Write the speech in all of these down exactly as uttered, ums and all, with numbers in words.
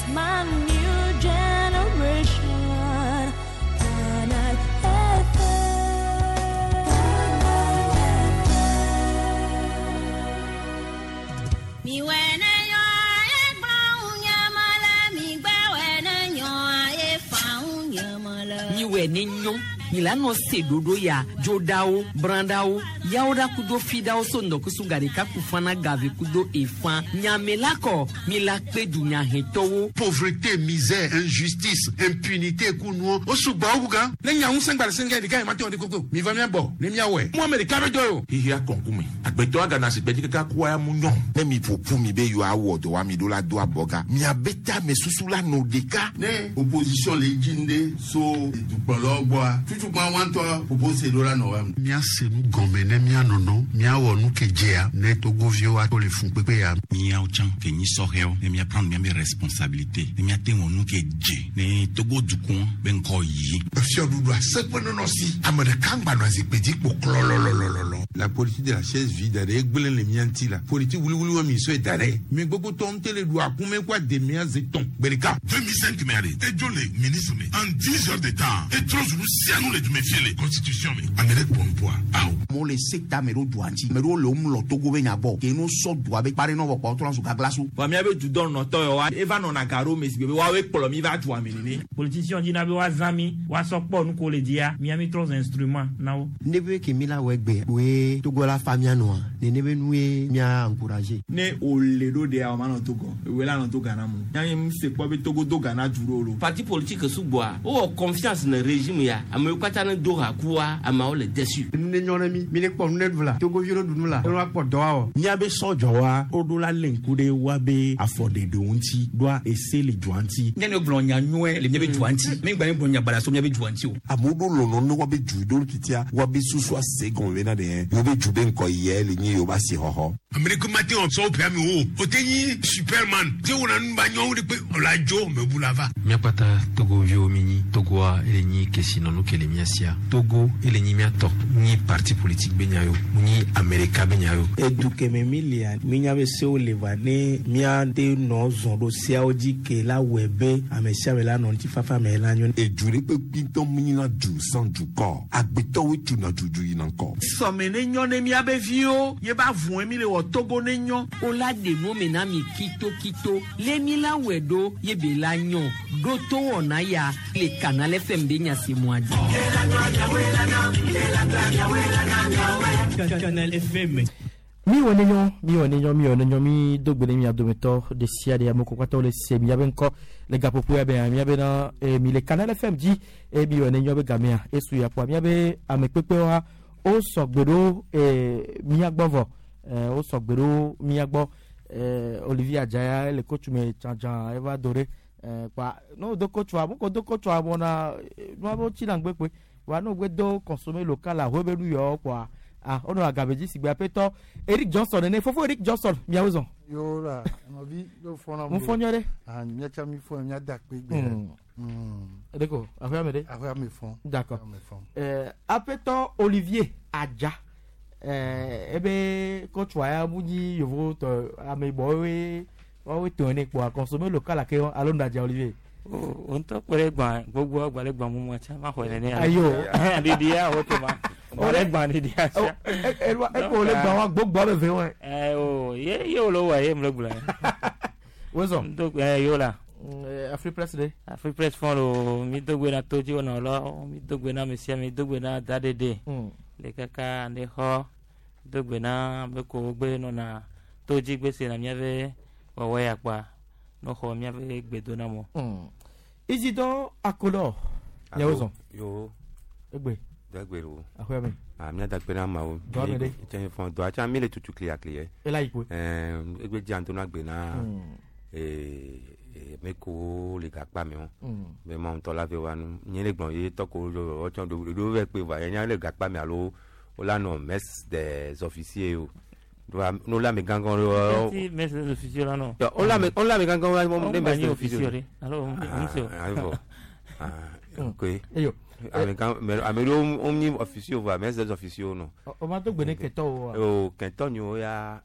is my new generation. Canal F M. Mi wene yo e gba mi gbe wene yo e fa unyamala. Mi wene nyo milano se dodo ya jodawo brandawo yawoda kudo fidawo so ndɔkusu garika kufana gave kudo efan nyamelakɔ milakpe dunyahɛtɔwo. Pauvreté, misère, injustice, impunité kunuo o sùgbọ́n o kukan. Ne nya ŋusẽ gba le sɛngɛ ɖeka yi ma te wɔ de koko mi va mia bɔ ne mia wɔe. Mu ame ɖeka bɛ dɔ o. Hihi akɔnkume agbetɔ agana si gbɛdzi kaka kua ya mu nyɔ. Ne mi ƒoƒu mi be yewoa wɔ dɔ wa mi ɖo la do abɔga miabe ta me susu la nɔ ɖeka. Ne opposition le dzi ŋde so dukplɔlawo gbɔa tutukpa wantɔ propose ɖo la nɔ wa. Míase nu gɔme ne míanɔnɔ míawɔ nu ke dzea ne togoviwo ato le fun kpekpe ya. Míawo tsã ke nyi sɔhɛwo ne míaprendre míabe responsabilité ne míate wɔ nu ke dze ne Togo dukɔ be ŋkɔ yi. Fiɔɖuɖu aseƒe nɔnɔ si ame ɖeka ŋgba nɔ zikpui dzi kpo klɔlɔlɔlɔlɔ. La politique de la chaise vide ɖe egblẽ le mía ŋuti la politique wuliwuli wɔ mi sɔe da ɖe mi gbogbo tɔ ŋute le ɖu akume kó ademea zi tɔn gbe ɖeka. deux mille cinq me ale edzo le ministre me en dix heures de temps etrɔ zu nu sia nu le dume fie le constitution me ame ɖe kpɔ nupoa awo. Amewo le sekta me ɖo dua ŋuti me ɖewo le wo mlɔ Togo be nya gbɔ ke no sɔ dua be kpa ɖe nɔ vɔ kpa wotrɔ zu gaglasu. Vɔ míabe dudɔnɔtɔ yawoa eva nɔna ga ɖo me si be woawoe kplɔ mi va dua me nene. Politicien dzina be woazã mi woasɔ kpɔ nu ko le dzia miami trɔ instrument na wo. Ne be ke mi la wɔ egbe woe Togo la fa mia nɔa nene be nue mia encourager. Ne wòle ɖo ɖea o ma nɔ Togo ewoe la nɔ to Ghana mu miami mu se kpɔ be Togo do Ghana du ɖo lo. Parti politique sugbɔa wowɔ confiance ne régime ya amewo katã ne do ha kua ameawo le déçu. Nu ne nyɔ ne mi mi ne kpɔ nu ne ɖu la Togoviwo ɖu nu la ne woakpɔ dɔ awɔ. Míabe sɔdzɔwa woɖo la lé ŋku ɖe woabe afɔɖeɖewo ŋuti ɖoa ese le dua ŋuti. Ne ne gblɔ nya nyuie le míabe dua ŋuti mi gba ne gblɔ nya baɖa so míabe dua ŋuti o. Amewo ɖo lɔlɔ ne woabe du ɖo titia woabe susu ase gɔme bena ɖe yewo be du be ŋkɔ yɛ le nye yewo ba si xɔxɔ. Ame ɖe ko ma te wɔ sɔwo ƒea me o o te nyi Superman te wɔna nu ba nyɔnu ɖe kpe ɔla dzo me bu la va. Míakpata Togoviwo mi nyi Togoa ele nyi kesinɔnu ke le mía sia Togo ele nyi míatɔ nyi parti politique be nya yo nyi Amerika be nya yo. Edu kɛmɛ mi lia mi nya be sewo le va ne míate nɔ zɔn ɖo seawo dzi ke la wɔe be ame sia ame la nɔ ŋutifafa me la nyo. Edu ɖe kpekpe ŋutɔ mi nyina du sans dukɔ agbetɔwoe tuna dudu yina ŋkɔ. Sɔme ne nyɔ ne míabe viwo ye ba vɔe mi le wɔ Togo ne nyɔ. O la ɖe nu me na mi kitokito le mi la wɔe ɖo ye be la nyɔ ɖo to wɔna ya le Canal F M be nya si mua dzi. Canal F M. Mi wɔ ne nyɔ mi wɔ ne nyɔ mi wɔ ne nyɔ mi do gbe ne mia dometɔ ɖe sia ɖe amewo katã wole se miabe ŋkɔ le gaƒoƒo ya be miabe na eh, mi le Canal F M dzi eye mi wɔ ne nyɔ be gamea esu ya kpoa miabe amekpekpewoa wo sɔgbe ɖo eh, mia gbɔ vɔ eh, wo sɔgbe ɖo mia gbɔ eh, Olivier Adjaya le kotsu me tsãtsã eva do ɖe eh, kpa ne wo do kotsua mo ko do kotsua mɔna nua be wotsi na ŋgbe kpoe wa ne wo gbe do consommer local ahoe be nu yawo kpoa ah ono agabeji sigbe apetɔ Eric Johnson nene fofo Eric Johnson miawo zɔn. Yo la nɔvi yo fɔna mo fɔ nyɔ ɖe. Ah miatsa mi fɔ mia da kpe gbe. Edeko aƒea me ɖe. Aƒea me fɔ. D'accord. Ɛɛ apetɔ Olivier Adja ɛɛ ebe kɔtsua ya mu nyi yovo tɔ ameyibɔwoe woawoe tɔ ene kpoa consommer local ake alo ŋdadza Olivier. O ŋutɔ kpe ɖe gbã gbogbo gba ɖe gbã mumu tsa ma xɔe nene. Ayo. Ɖiɖi ya wo to ma. Gba ɖe gbã ɖiɖi ya tsa. Eko le gbã wa gbogbo ame ve wɔe. Ɛ o ye ye wo le wɔ ye mu le gblɔe. Wozɔ. Ŋdo ɛ yo la. Afri Press ɖe. Afri Press fɔn lo mi do gbe na todzi wɔnɔ lɔ mi do gbe na ame sia mi do gbe na da ɖeɖe. Le kaka ne xɔ do gbe na ame ko gbe nɔna todzi gbe se na miabe wɔwɔ ya kpa no xɔ miabe gbe do na mo. Isidore Akolor. Miawo zɔn. Yo. Egbe. Dagbe lo. Aƒea me. Ah mia dagbe na mawo. Dɔa me ɖe. Tse fɔn dɔa tsa mi le tutu klia klia. Ela yi koe. Ɛɛ egbe dzi anto na gbe na. Ee me ko le gakpa me o. Be ma ŋutɔ la ve wa nu. Nye le gblɔ ye tɔ ko lo tsɔ ɖo ɖo ve kpe va ye nya le gakpa me alo o la nɔ messe des officiers o. Doa no la me gangan lo. Ti messe des officiers la no. O la me o la me gangan wa ne messe des officiers. Alo monsieur. Ah bon. Ah ok. Eyo. Ame gan ame ɖewo wo nyi officiers va messe des officiers no. O ma do gbe ne kɛtɔwo wa. O kɛtɔ nyo ya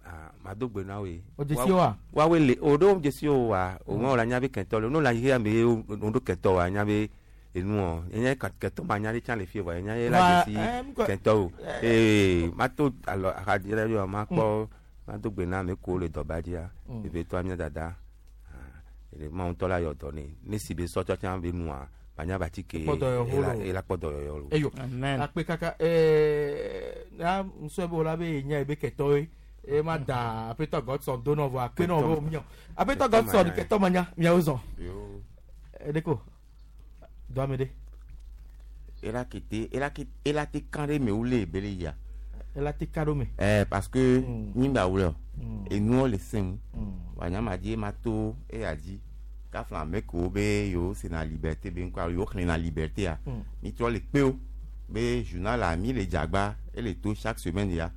Ah, ma do gbe na we. O dzesi woa? Wa we le o do dzesi wo wa. O ma la nya be kɛntɔ le. No la yi ame o do kɛntɔ wa nya be enu o. Enya kɛntɔ ma nya le tsa le fie wa. Enya ye la dzesi kɛntɔ o. Ee ma to alɔ axadzi ɖe yɔ ma kpɔ ma do gbe na ame ko le dɔba dzia. Ebe to amia dada. Ele ma ŋutɔ la yɔ dɔ ne. Ne si be sɔtsɔ tsã be nua. Manya bati ke ela kpɔ dɔyɔyɔ lo. Eyo. Akpe kaka ee na ŋusɔ be wo la be nya ebe kɛtɔwoe. E ma da Aƒetɔ Godson do nɔ vɔ akpe nɔ be miɔ. Aƒetɔ Godson kɛtɔ ma nya miawo zɔn. Edeko do ame ɖe. Ela kete ela kete ela te kan ɖe me wole ebele ya. Ela te kan ɖo me. Ɛɛ parce que nyigba wole o. Enuwo le sẽŋ. Wa nyama dzi ma to eya dzi. Kafla ame kewo be yewo sena liberté be ŋkɔ yewo xlẽna liberté ya. Mi trɔ le kpe wo be journal la mi le dzagba ele to chaque semaine ya.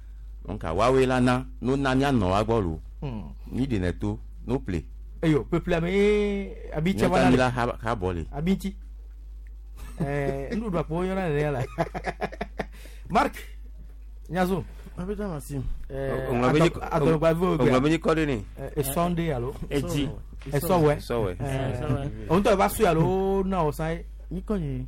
Donc woawoe la na no na mianɔ wa gbɔ lo. Mi ɖenɛ to no ple. Eyo peuple ame abi tse wa la ha ha bɔ le. Abi ŋuti. Ɛɛ nuɖuɖu akpo yɔna nene la. Marc Nyazo. Aƒetɔ Maxime. Ɛɛ adɔgbavi o gbe. Ŋlɔ kɔ ɖe ne. Esɔnde alo. Edzi. Esɔwɛ. Esɔwɛ. O ŋutɔ va sue alo na o san ye. Nyikɔ nye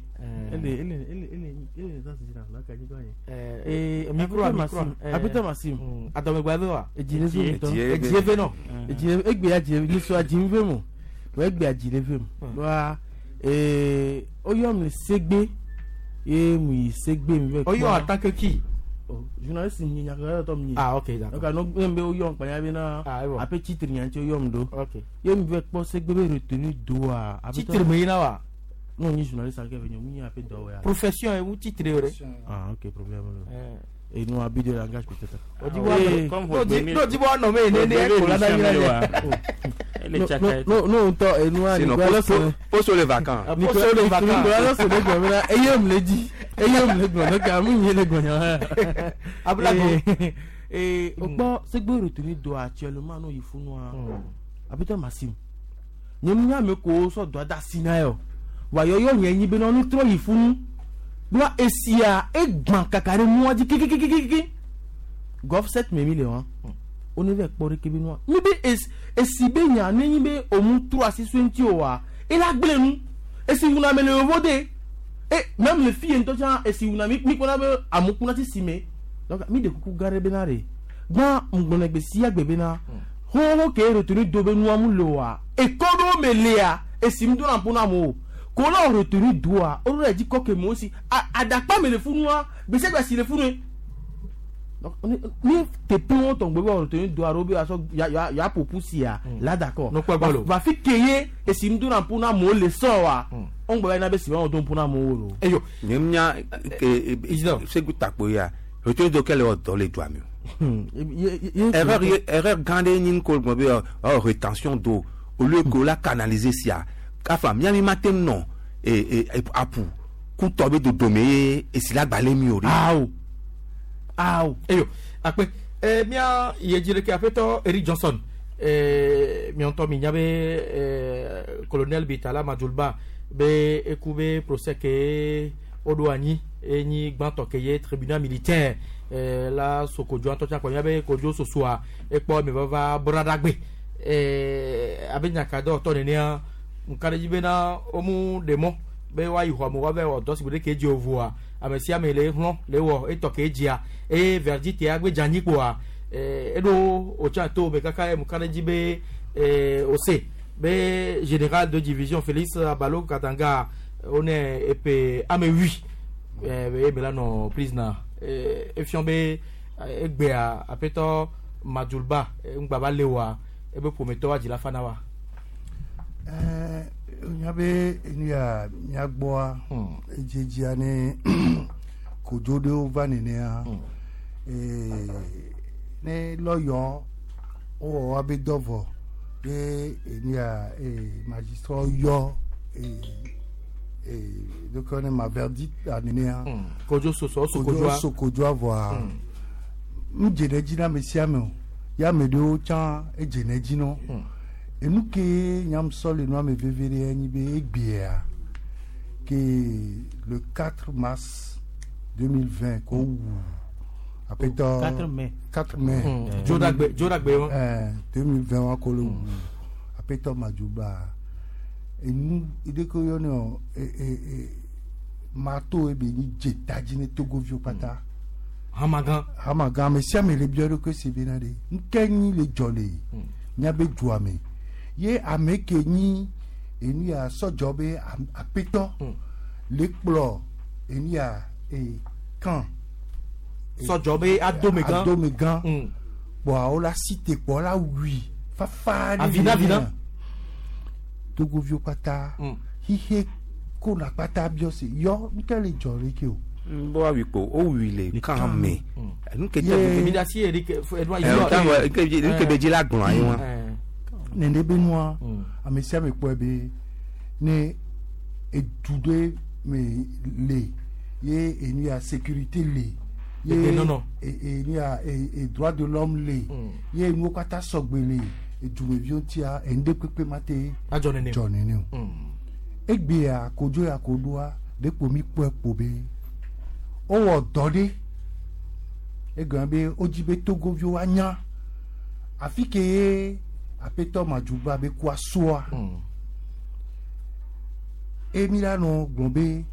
ele ele ele ele ele ta sisi na ka nyikɔ nye. Ee micro micro. Aƒetɔ Maxime. Adɔmegbavi wa. Edzi ne so ŋutɔ. Edzi eve nɔ. Edzi egbe ya dzi nisɔ dzi ŋve mo. Wɔ egbe ya dzi le ve mo. Wa ee oyɔ mi segbe ye mu yi segbe mi vɛ. Oyɔ en tant que qui? Journaliste nyi nyakaka tɔ mi nyi. Ah ok d'accord. Donc no be oyɔ nkpanya be na. Ape titre nya ŋuti oyɔ mi do. Ok. Ye mi vɛ kpɔ segbe be retenu doa. Titre me yina wa. Non, ni journaliste avec venir, ni un peu d'or. Profession et où titre Ah, ok, problème. Et nous, habit de langage peut-être. On dit non, dis-moi non, mais né né Non, non, non, et nous, Nicolas, poste les vacances. Poste les vacances. Nicolas, c'est le gars, et il me l'a dit. Et il me l'a dit, donc, il me l'a dit. Ablago. Et, bon, c'est que retenu doit actuellement, non, il faut nous. Apeto Maxime. Nous, nous, nous, so doit d'assinayo. Wa yoyo nye nyi be no nu tro yi funu doa esia egban kaka re mu adi kikikikiki golf sept me le wan o ne ve kpore ke bi no mi be es esi be nya ne nyi be o mu tro asi so nti o wa e la gble nu esi wuna me le vode e même le fille nto cha esi wuna mi mi kona be amukuna ti sime donc mi de kuku gare be na re gban ngbona gbe si agbe be na ho ho ke retenu do be nu amu lo wa e kodo me le a esi mi do na pona mo kolo retenu doa o re di koke mo si adapa me le funua bese gba si le funu donc ni tepe won ton gbebe retenu doa robe aso ya ya ya popu si a là d'accord va fi keye e si mdu na puna mo le so wa on gbe na be si won don puna mo wo lo eyo nyemnya ke segu takpo ya retenu do kele o do le doa mi erreur erreur grande ni ko gbe oh rétention d'eau au lieu que la canaliser si a kafa miami matin non et et apu ku tobe dodome e sila gbale mi ori awo awo eyo akpe eh mia yejire ke afeto Eric Johnson eh mi onto mi nyabe eh colonel Bitala Madjoulba be ekube procès ke odo anyi enyi gbanto ke ye tribunal militaire eh la sokojo anto cha ko nyabe kojo sosua epo mi vava bradagbe eh abenya do to ne ne nkareji be na omu demo be wa yiho mo wa be odo si bude keji ovua ame sia me le hlon le wo eto keji a e verdict ya gbe janyi po a e do ocha to be kaka e nkareji be e ose be général de division Félix Abalo Katanga on est epe ame huit e be la no prisoner e fion be egbe a apeto Madjoulba ngba ba lewa e be prometteur wa jila fana wa eh nyabe nya nyagboa ejejia ni kojo de ova nene a eh ne lawyer o wa be dovo e nya e magistrat yo e e donc on ma verdict nene a kojo soso sokojo sokojo avoa mjene jina mesiame ya medo chan ejene jino enu ke nyam sol enu ame vevere enyi be egbea ke le quatre mars deux mille vingt ko wu Apetɔ quatre mai. quatre mai. Mm. Dzoɖagbe- Dzoɖagbe wa. Ɛɛ deux mille vingt wa ko le wu Apetɔ Madjougba enu ɖe ke woyɔnɛ o e e e marteau ye be nyi dze ta dzi ne togoviwo kpata. Hamagan. Hamagan ame sia ame le biɔ ɖokui si bena ɖe ŋke nyi le dzɔ le míabe dua me ye ame ke nyi enu ya sɔdzɔ be am- apetɔ le kplɔ enu ya e kan. Sɔdzɔ be adomegã. Adomegã. Kpɔa wo la si te kpɔ la wui fafa ɖe Avina, avina. ɖe togoviwo kpata xixe kona kpata biɔ se yɔ ŋke le dzɔ le ke o. bɔ awi kpo o wi le kan me nu ke Ye- Mi da si Eric Edouard Eh, kan wɔ- nke bi- nke be dzi la gblɔ anyi wa. nene be nua ame sia ame kpɔe be ne edu ɖe me le ye enu ya sécurité le ye Etenɔnɔ. e- enu ya e- e droit de l'homme le ye enuwo katã sɔgbe le edumeviwo ŋutia enu ɖe kpekpe ma te Adzɔ nene o. dzɔ nene o egbea kodzo ya ko ɖoa ɖekpo mi kpɔe kpo be wowɔ dɔ ɖe egɔme be wodzi be togoviwo anya afi ke ye apetɔ Madjougba be kua soa emi la nɔ gblɔ be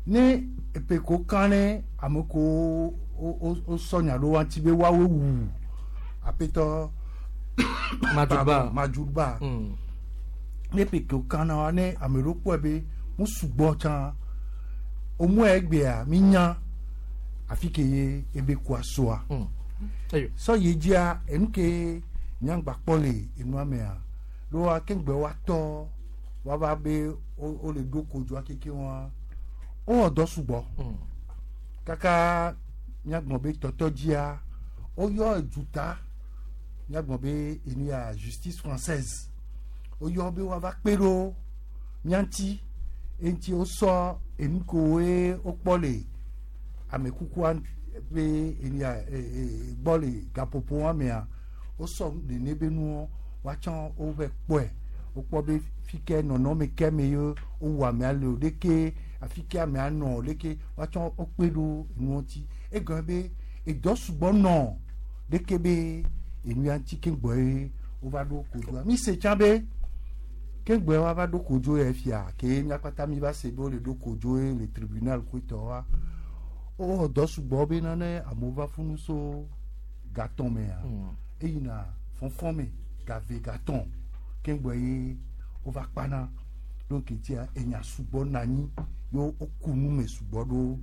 ne epe ko kan ne ame ko wo- wo wo sɔ nya ɖo wa ŋuti be woawoe wu apetɔ Madjougba. Madjougba ne epe ko kan na wa ne ame ɖewo kpɔe be mu sugbɔ tsã omue egbea mi nya afi ke ye ebe kua soa sɔ yi dzia enu ke nyagba kpɔ le enua mea ɖoa keŋgbe woatɔ woava be wo wo le ɖo kodzoa keke wa wowɔ dɔ sugbɔ kaka míagblɔ be tɔtɔ dzia woyɔ eduta míagblɔ be enu ya justice française woyɔ be woava kpe ɖo mía ŋuti eŋuti wosɔ enu kowoe wokpɔ le amekukua be enu ya e e gbɔ le gaƒoƒo wa mea wosɔ nene be nuwo woatsɔ wove kpɔe wokpɔ be fi ke nɔnɔme ke me ye wowu amea le o ɖeke afi ke amea nɔ o ɖeke woatsɔ wokpe ɖo enuwo ŋuti egɔme be edɔ sugbɔ nɔ ɖeke be enu ya ŋuti ke gbɔ ye wova ɖo kodzoa mi se tsã be ke gbɔ woava ɖo kodzo ya fia ke mía kpata mi va se be wole ɖo kodzo ye le tribunal koetɔ wa wowɔ dɔ sugbɔ be nane amewo va funu so gatɔn mea eyina fɔnfɔn me gave gatɔn ke gbɔ ye wova kpana donc etia enya sugbɔ nɔ anyi ye woku nu me sugbɔ ɖo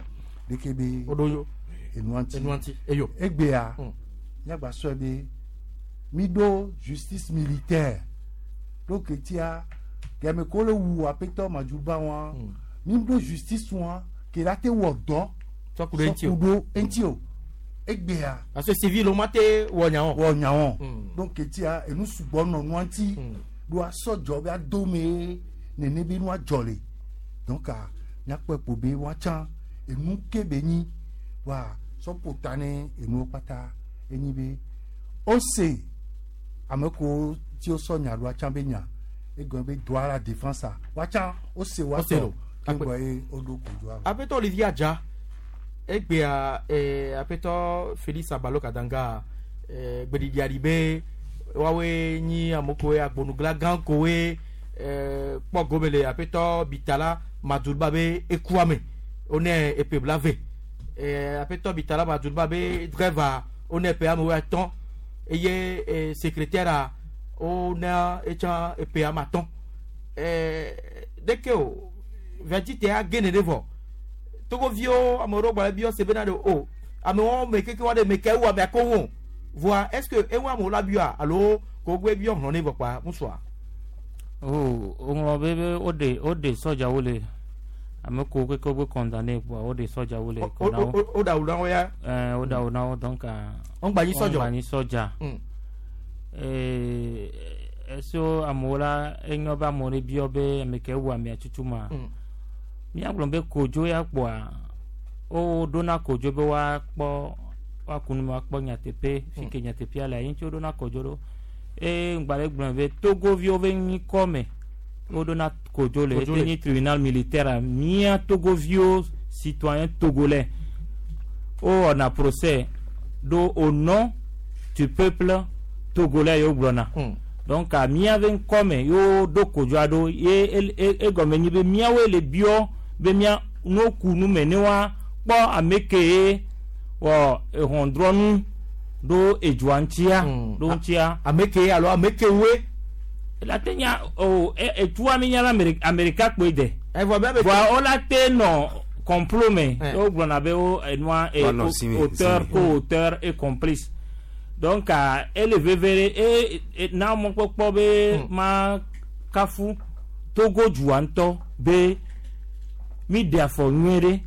ɖeke be enua ŋuti Enua ŋuti. Eyo. egbea míagba sɔe be mi ɖo justice militaire donc etia gɛmɛ ko le wu apetɔ Madjougba wa mi ɖo justice wa ke la te wɔ dɔ Sɔ ku ɖe eŋuti o. sɔ ku ɖo eŋuti o egbea Parce que civil o ma te wɔ nya o. wɔ nya o donc etia enu sugbɔ nɔ nua ŋuti ɖo asɔdzɔ be adome nene be nua dzɔ le donc a míakpɔe kpo be woatsã enu ke be nyi wa sɔƒo ta ne enuwo kpata enyi be ose ame kewo ti wosɔ nya ɖo atsã be nya egɔme be droit à la défense a woatsã ose Ose woatɔ ɖo. keŋgbɔ ye woɖo kodzoa. Apetɔ Olivier Adja egbea eh, apetɔ Félix Abalo Kadanga eh, gbeɖiɖia ɖi be woawoe nyi ame koe agbonugla gã koe eh, kpɔ gome le apetɔ Bitala Madjougba be ekua me wone eƒe blaeve eh, apetɔ Bitala Madjougba be driver wone eƒe ame wuiatɔ̃ eye eh, secrétaire a wone etsã eƒe ame atɔ̃ eh, ɖeke o verdict ya ge ne ɖe vɔ togoviwo ame ɖewo gblɔ be se bena ɖe o amewo me keke wa ɖe me ke wu amea ko ŋu voa est ce que ewu amewo la bioa alo ko gbe biɔ hlɔ̃ ne vɔ kpa ŋutsua. o woŋlɔ be be woɖe woɖe sɔdzawo le ame kewo keke wobe condamné kpoa woɖe sɔdzawo le kɔ na wo. o da wu na wo ya. Ɛɛ woɖe awu na wo donc. Wọ́n nyi sɔdzɔ. Wọ́n gba nyi sɔdza. Mm. Ee eso amewo la enyo be amewo ne biɔ be ame ke wu amea tutu ma. Mm. Míagblɔ be kodzo ya kpoa woɖona kodzo be woakpɔ woaku nu me woakpɔ nyateƒe fi ke nyateƒea le ye ŋuti woɖona kodzo ɖo eye ŋgba le gblɔ be togoviwo be nyikɔ me woɖona kodzo le Kodzo ete le. nyi tribunal militaire mía togoviwo citoyen togolais wowɔna procès Do au nom du peuple togolais yo gblɔna. Donc a míabe ŋkɔme yo ɖo kodzoa ɖo ye egɔme nyi be míawoe le biɔ be mía no ku nu me ne wa kpɔ ame ke ye wɔ ehɔndrɔnu ɖo edzoa ŋutia ɖo ŋutia. Ame ke alo ame ke woe. La te nya o etua mi nya be Amerika kpoe de. Evɔ be voa wo la te nɔ complot me wo gblɔna be wo enua auteur co-auteur et complice. Donc ele vevere e na mɔkpɔkpɔ be ma kafu Togo dua ŋutɔ be mi ɖe afɔ nyuie ɖe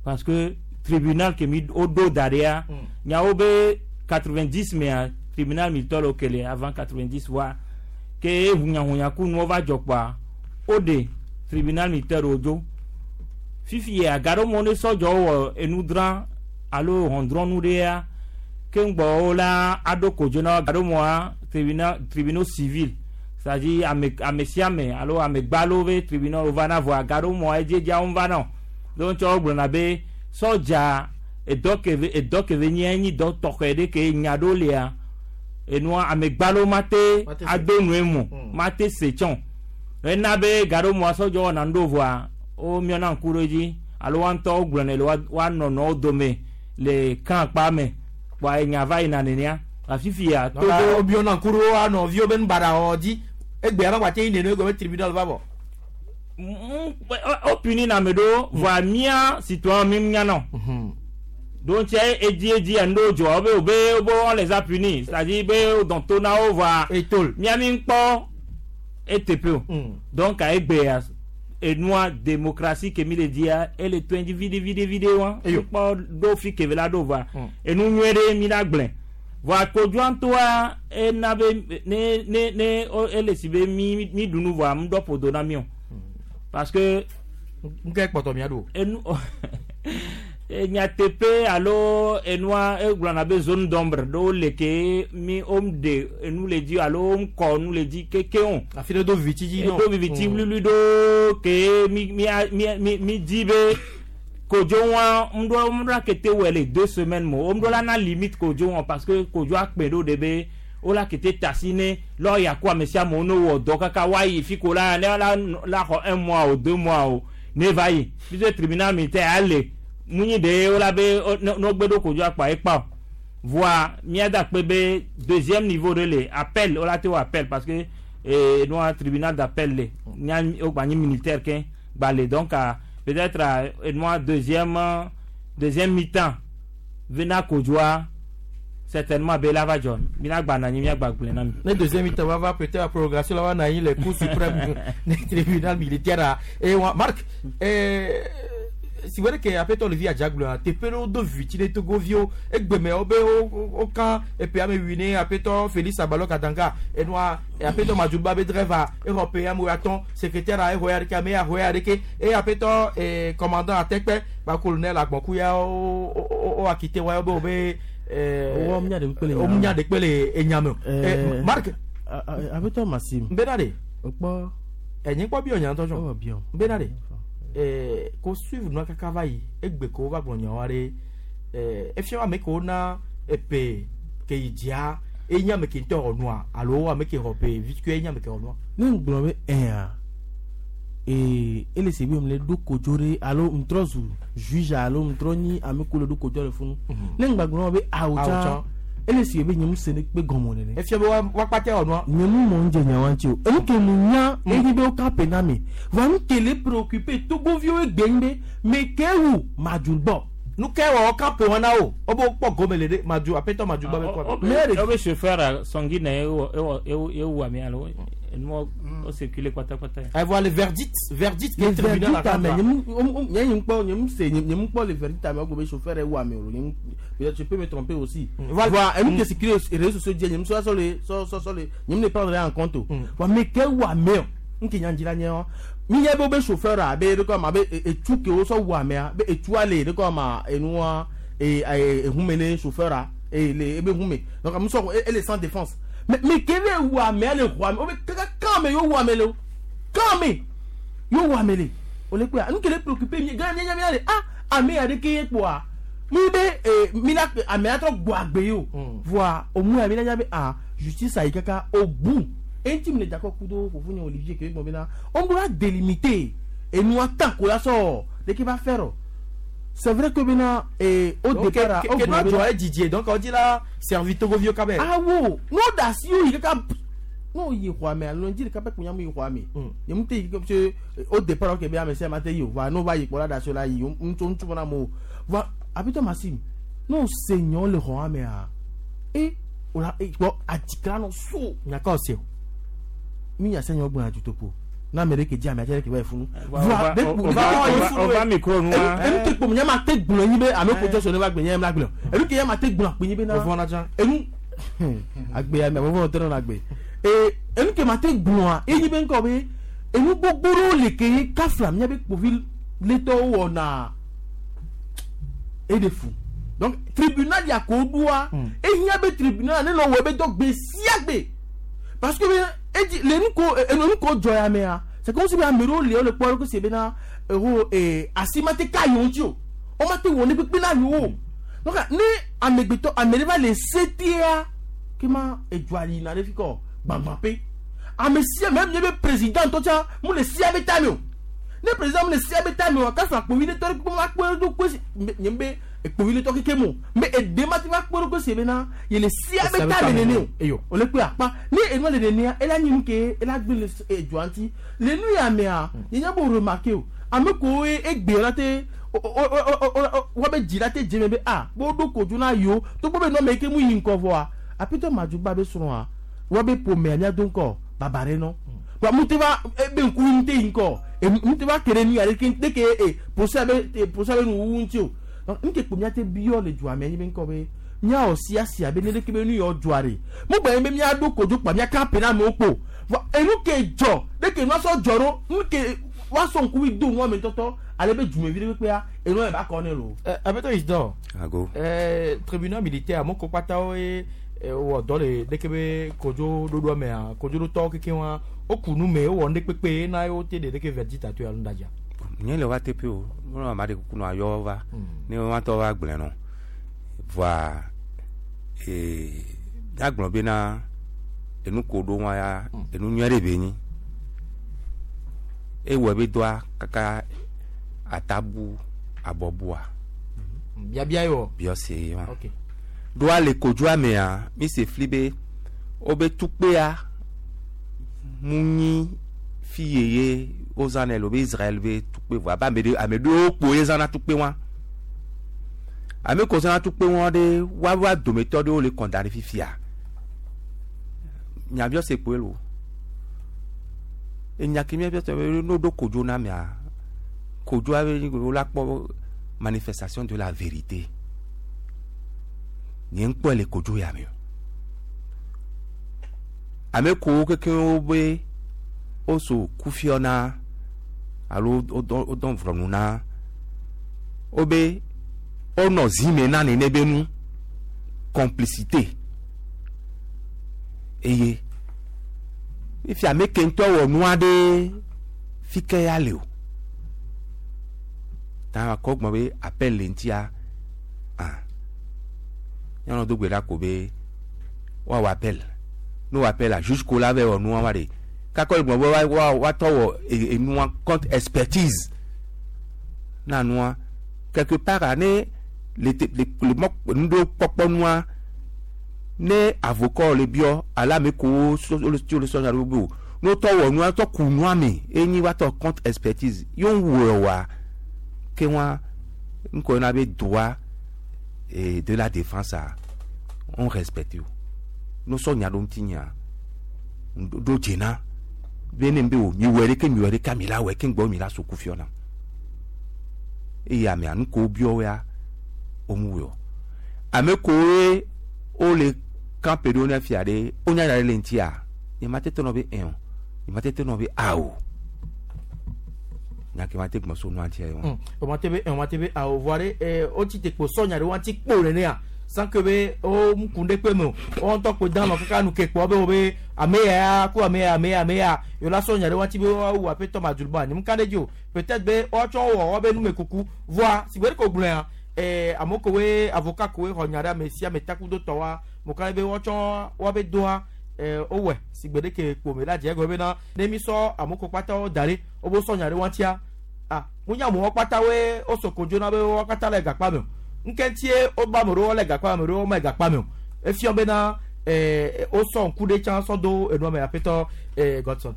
parce que tribunal ke mi woɖo da ɖea nyawo be quatre-vingt-dix mea tribunal militaire wo kele avant quatre-vingt-dix wa ke hunyahunya ku nuwo va dzɔ kpoa woɖe tribunal militaire wo dzo fifi agaɖo mo ne sɔdzɔwo wɔ enu drã alo hɔndrɔnu ɖea ke ŋgbɔ la aɖo kodzo na gaɖo moa tribunal tribunal civil c'est-à-dire ame ame sia ame alo ame gbalo be tribunal wo va na voa gaɖo moa edzedzia wo va na o donc tsɔ gblɔna be sɔdza edɔ ke ve edɔ ke ve nye nyi dɔ tɔxɛ ɖe ke nya ɖo lia enua ame gbalo ma te ado nue mo ma te se tsɔn ena be gaɖo moa sɔdzɔ wɔna nu ɖo voa wo miɔna ŋku ɖo dzi alo wa ŋutɔ wo gblɔnɛ le wa nɔnɔwo dome le kan kpa me kpoa enya va yina nenea afifia togo wo miɔna ŋku ɖo wa nɔviwo be nubaɖa wɔ dzi egbea ma gba te yi nene egɔme tribunal va vɔ. O puni na ame ɖewo voa mía citoyen mi mianɔ donc edzi edzi enu dzɔ wo be wo be wo be on les a punis c'est-à-dire be wo dɔn to na wo voa mía mi kpɔ eteƒe o donc egbea enua démocratie ke mi le dia ele to dzi vide vide vide wa kpɔ ɖo fi ke la ɖo voa enu nyuie ɖe mi la gblẽ voa kodzoa ŋutɔa ena be ne ne ne ele si be mi mi ɖu nu voa ŋdɔ ƒodo na mi o parce que nke kpɔtɔ mia ɖo enu nyateƒe alo enua egblɔna be zone d'ombre ɖewo le ke mi wom de enu le dzi alo wom kɔ nu le dzi keke o. Afi ɖe do viviti dzi nɔ. Do viviti wluiwlui ɖo ke mi mi mi mi mi di be kodzo wa ŋɖo ŋɖo akete wɔ le deux semaines mo ŋɖo la na limite kodzo wa parce que kodzo akpe ɖo de be wola kete tasi ne lɔya ko ame sia amewo ne wɔ dɔ kaka woayi fi ko la ne la la xɔ un mois o deux mois o ne va yi puisque tribunal militaire ale munyi de wola be ne gbe ɖo kodzo akpa ekpa o voa míada kpe be deuxième niveau ɖe le appel wola te wɔ appel parce que eh, noa tribunal d'appel le nya wogba nyi militaire ke gba le donc peut-être noa deuxième deuxième mi-temps vena kodzoa certainement bela va jɔ mina gba na nyi mia gba gblẽ na mi. Ne deuxième mi-temps va va peut-être la prolongation la va na nyi le cour suprême ne tribunal militaire et wa Marc eh si wɛrɛ ke apɛtɔ le vi adzagblɔ teƒe ɖewo do viviti ɖe togoviwo egbeme wo be wo wo kan epe ame wui ne apɛtɔ Félix Abalɔ Kadanga enua apɛtɔ Madjoulba be driver exɔ pe ame atɔ̃ secrétaire exɔ ya ɖeke ame ya xɔ ya ɖeke eye apɛtɔ ee commandant Atekpe ba colonel Agbɔnkuya wo wo wo akite wa be wo be ɛɛ wo nya ɖe kpe le wo nya ɖe kpe le enya me o ɛ Marc. Apɛtɔ Maxime. n bɛ na de. O kpɔ. Ɛnyi kpɔ bi ɔnya ŋutɔ tsɔ. Ɔ bi ɔ. N bɛ na de. Eh, ko suivre nua kaka va yi egbe ko va gblɔ nyawo ɖe eh, efia ame ke wona epe ke yi dzia enye ame ke ŋutɔ xɔ nua alo ame ke xɔ pe vitukui enye ame ke xɔ nua. Ne ŋgblɔ be ɛa ee ele si be mu le ɖo kodzo ɖe alo ŋtrɔ zu juge alo ŋtrɔ nyi ame ko le ɖo kodzo le funu ne ŋgba gblɔ be awo tsã ele si be nye mu se ne kpe gɔmɔ nene. Efia be wa wa kpatɛ xɔ nua. Nye mu mɔ ŋdze nyawa ŋuti o enu ke mu nya eyi be wo ka pe na mi voa nu ke le préoccupé togoviwo egbe ŋu be me ke wu Madjoulba. Nu ke wɔ ka pe wɔn na o wo be kpɔ gome le ɖe Madjou apɛtɔ Madjoulba be kɔ. O be chauffeur sanguine ewo ewo ewu ame alo enuwo o circuler kpatakpata. Ɛvɔ le verdict verdict ke le tribunal verdict ame nye mu nye nye ŋkpɔ nye mu se nye mu kpɔ le verdict ame wo be chauffeur ewu ame o nye mu peut-être je peux me tromper aussi. Voa enu ke circuler réseaux sociaux dzi nye mu sɔ sɔ le sɔ sɔ sɔ le nye mu ne prendre en compte o. Voa me ke wu ame o nke nya dzi la nye wa mi nye be wo be chauffeur a be ɖe ma be etu ke wo sɔ wu amea be etua le ɖe ma enua e ehume ne chauffeur a e le ebe hume donc ame sɔ ele sans défense mais mais ke be wu amea le xɔa me wo be kaka kan me yo wu ame le o kan me yo wu ame le o le kpea nu ke le préoccupé mi gã mi nya mi le ah ame ya ɖeke ye kpoa Mi be eh, mi la ame atrɔ gbɔ agbe yi o. Voa o mu ya mi la nya be ah justice ayi kaka au bout. Enti mi le d'accord kudo fofo nye Olivier ke gbɔ bena on doit délimiter et nous attend ko la sɔ de qui va faire. C'est vrai que bena eh, au Donc, départ ke- ke- ke no dzɔ Didier donc on dit la servi Togovio kabe. Ah wo no da si o yi kaka no yi xɔa me alo ŋdzi ɖeka pɛ kpo nyamu yi xɔa me nye mu te yi parce que au départ ke be ame sia ma te yi o va no va yi kpɔ la da si o la yi ŋutsu ŋutsu fana mo va abitɔ Maxime no se nyɔ le xɔa mea e o la e kpɔ adzikla nɔ so. Nyaka o se o. Mi nya se nyɔ gbɔna dutoƒo na ame ɖe ke dzi ame atse ɖe ke va yi funu. Va- va- va- va- va micro nua. Enu te kpɔ nye ma te gblɔ nyi be ame ko jɔ sɔ ne va gbe nye ma gblɔ enu ke nye ma te gblɔ akpe nyi be na. Vɔvɔ na tsã. Enu agbe ya me vɔvɔ tɛ nɔ agbe ee enu ke ma te gblɔa enyi be ŋkɔ be enu gbogbo ɖewo le ke ye kafla mía be kpovi letɔwo wɔna e de fu donc tribunal ya ko ɖoa ehiã be tribunal ne nɔ wɔ ebe dɔ gbe sia gbe parce que be edzi le nu ko enu nu ko dzɔ ya mea c'est comme si be ame ɖewo le wo le kpɔ ɖo se bena eho ee asi ma te ka yewo ŋuti o wo ma te wɔ ne kpekpe na yewo o donc ne amegbetɔ ame ɖe va le setea ke ma edzoa yina ɖe fi kɔ gbagba pe ame sia même nye be président tɔ tsã mu le sia be tame o ne président mu le sia be tame o kafa kpovitɔ ɖe kpekpe ma kpe ɖo kpe si nye be kpovitɔ keke mo mais eɖe ma te va kpe ɖo kpe si bena ye le sia be tame nene o eyo o le kpe akpa ne enua le nenea ela nyi nu ke ela gbe le edzoa ŋuti le nu ya mea nye nya be o remarqué o ame kowo ye egbe la te woabe dzi la te dze me be ah bo ɖo kodzo na yewo togbɔ be nɔme yi ke mu yi ŋkɔ vɔa apetɔ madzuba be srɔ̃a woabe ƒomea míado ŋkɔ baba ɖe nɔ wa mu te va ebe ŋku mu te yi ŋkɔ mu te va ke ɖe nu ya ɖeke ɖeke e procès be procès be nuwuwu ŋuti o donc nu ke kpo míate biɔ le dzoa me nyi be ŋkɔ be míawɔ siasia be ne ɖeke be nu yɔ dzoa ɖe mu gba nye be míaɖo kodzo kpa míaka pe na amewo kpo vɔ enu ke dzɔ ɖeke nua sɔ dzɔ ɖo nu ke woasɔ ŋkuvi do nua me tɔtɔ ale be dzumevi ɖe kpekpea enua yɛ ba kɔ ne lo. Abetɔ Isidore. Ago. Eh, tribunal militaire mo ko kpatawo ye wɔ dɔ le ɖeke be kodzo ɖoɖoa mea kodzo ɖotɔwo keke wa woku nu me wowɔ nu ɖe kpekpe na ye wote ɖe ɖeke verdict ato ya nu ɖadza. Nye le wa teƒe o wonɔ ame aɖe kuku nɔ ayɔ va ne woatɔ va gblẽ nɔ voa ee míagblɔ bena enu ko ɖo wa ya enu nyui ɖe be nyi ewɔ be dɔa kaka atabu abɔbua. Biabia ye wɔ. Biɔse ye wa. Ok. Ɖoa le kodzoa mea mi se fli be wobe tukpea mu nyi fi yeye wozãnɛ le wobe Israel be tukpe vɔ abe ame ɖe ame ɖewo kpo ye zãna tukpe wa ame ko zãna tukpe wa ɖe woawoa dometɔ ɖewo le condamné fifia nyabiɔse kpoe lo enya ke miabiɔse be no ɖo kodzo na mea kodzoa be wola kpɔ manifestation de la vérité nye ŋkpɔe le kodzo ya me o ame kowo kekeŋ be woso kufiɔ na alo wodɔ vrɔnu na wobe wonɔ zime na nene be nu complicité eye ifi ame ke ŋutɔ wɔ nua ɖe fi ke ya le o ta akɔ gbɔn be appel le ŋutia ah nyɔnu do gbe ɖa ko be woawɔ appel ne wɔ appel la juge ko la vɛ wɔ nua wa de kakɔ le gbɔn be wa wa woatɔ wɔ enua contre expertise na nua quelque part a ne le te le le mɔ nu ɖewo kpɔkpɔ nua ne avocat le biɔ alo ame kowo so le tso le sɔnya ɖe be o ne wotɔ wɔ nua tɔ ku nua me enyi woatɔ contre expertise yewo wɔ wa ke wa ŋkɔ yina be droit et de la défense a on respecte o ne sɔ nya ɖo ŋuti nya ɖo dzena be ne be o mi wɔ ɖeke mi wɔ ɖeke mi la wɔ ke ŋgbɔ mi la so kufiɔ na eye amea nu ko biɔ ya wo mu wɔ ame kowoe wole camp ɖo ne fia ɖe wonya nya ɖe le ŋutia nye ma te tɔ nɔ be ɛn o nye ma te tɔ nɔ be a o nya ke ma te gbɔn so nua ŋutia ye wa. O ma te be o ma te be a o voa ɖe eh, wotsi te kpo sɔ nya ɖe wa ŋuti kpo nenea sans que be wo ŋku ɖe kpe me o wo ŋutɔ kpo dan nɔ kaka nu ke kpɔ be wo be ame ya ko ame ya ame ya ame ya yewo la sɔ nya ɖe wa ŋuti be woawu aƒetɔ Maduluba nye mu ka ɖe dzi o peut-être be woatsɔ wɔ woabe numekuku voa si gbe ɖe ko gblɔa eh amoko we avocat ko we xɔ nya ɖe ame sia ame takudo tɔ wa mo ka be wotsɔ woabe doa eh owɔe si gbe ɖeke kpome la dze egɔme bena ne mi sɔ amoko kpatawo da ɖe wobe sɔ nya ɖe wɔntia ah munya amewo kpata woe wosɔ kodzo na be wo katã le gakpa me o ŋkɛntie woba ame ɖewo le gakpa me ame ɖewo me gakpa me o efiɔ bena eh wosɔ ŋku ɖe tsã sɔ do enua me aƒetɔ eh Godson.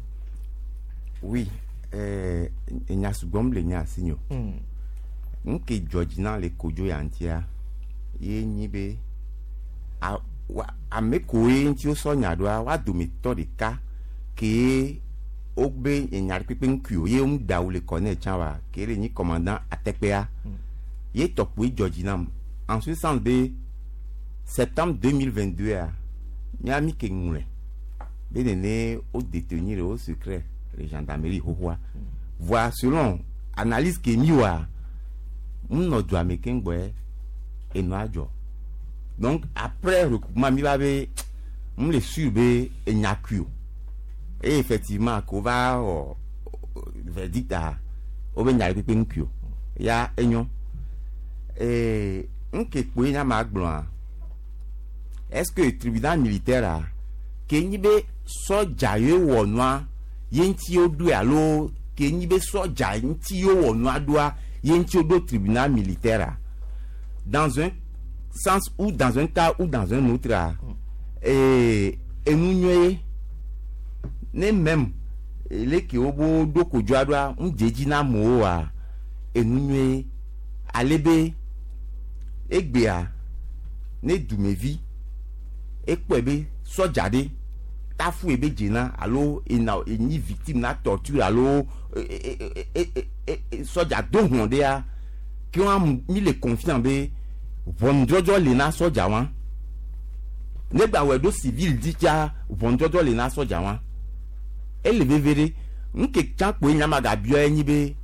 Oui, eh, nya sugbɔm le nya asi nyo. Mm. Nke dzɔ dzi na le kodzo ya ŋutia ye nyi be a- wa- ame koe ŋuti wosɔ nya ɖoa woa dometɔ ɖeka kee wobe enya ɖe kpekpe ŋkui o ye womu da wo le kɔ nɛ tsã wa ke le nyi commandant atekpea ye tɔkpoe dzɔ dzi nam en ce sens be septembre deux mille vingt deux a mía mi ke ŋlɔe be nene wo détenir au secret le gendarmerie xoxoa voa selon analyse ke mi wɔa ŋnɔ dua me keŋ gbɔe enua dzɔ donc après recoupement mi va be m le sûr be enya kui o et effectivement ko va wɔ verdict a wobe nya ɖe kpekpe ŋkui o ya enyo ee ŋke kpoe nya ma gblɔa est ce que tribunal militaire a ke nyi be sɔdza ye wɔ nua ye ŋuti woɖoe alo ke nyi be sɔdza ŋuti wowɔ nua ɖoa ye ŋuti woɖo tribunal militaire a dans un sens ou dans un cas ou dans un autre a ee enu nyuie ne même leke wo bo ɖo kodzoa ɖoa ŋu dze dzi na amewo wa enu nyuie ale be egbea ne dumevi ekpɔe be sɔdza ɖe tafu ebe dzena alo ena enyi victime na torture alo e e e e e e sɔdza do hlɔ̃ ɖea ke wa mi le confiant be ʋɔnudɔdrɔ̃ le na sɔdza wa ne gba wɔ ɖo civil dzi tsa ʋɔnudɔdrɔ̃ le na sɔdza wa ele veve ɖe ŋke tsã kpoe nya ma gabiɔ enyi be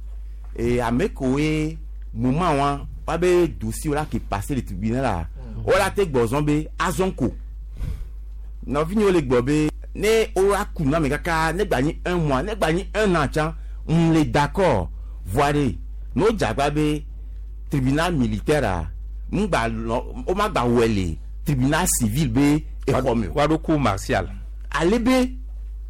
ee ame koe moment wa woabe dossier la ke passé le tribunal la wola te gbɔzɔn be azɔn ko nɔvinyewo le gbɔ be ne wola ku na me kaka ne gba nyi un mois ne gba nyi un an tsã n le d'accord voa ɖe ne wo dzagba be tribunal militaire a ŋgba lɔ wo ma gba wɔe le tribunal civil be exɔ me o. Woaɖo cour martial. Ale be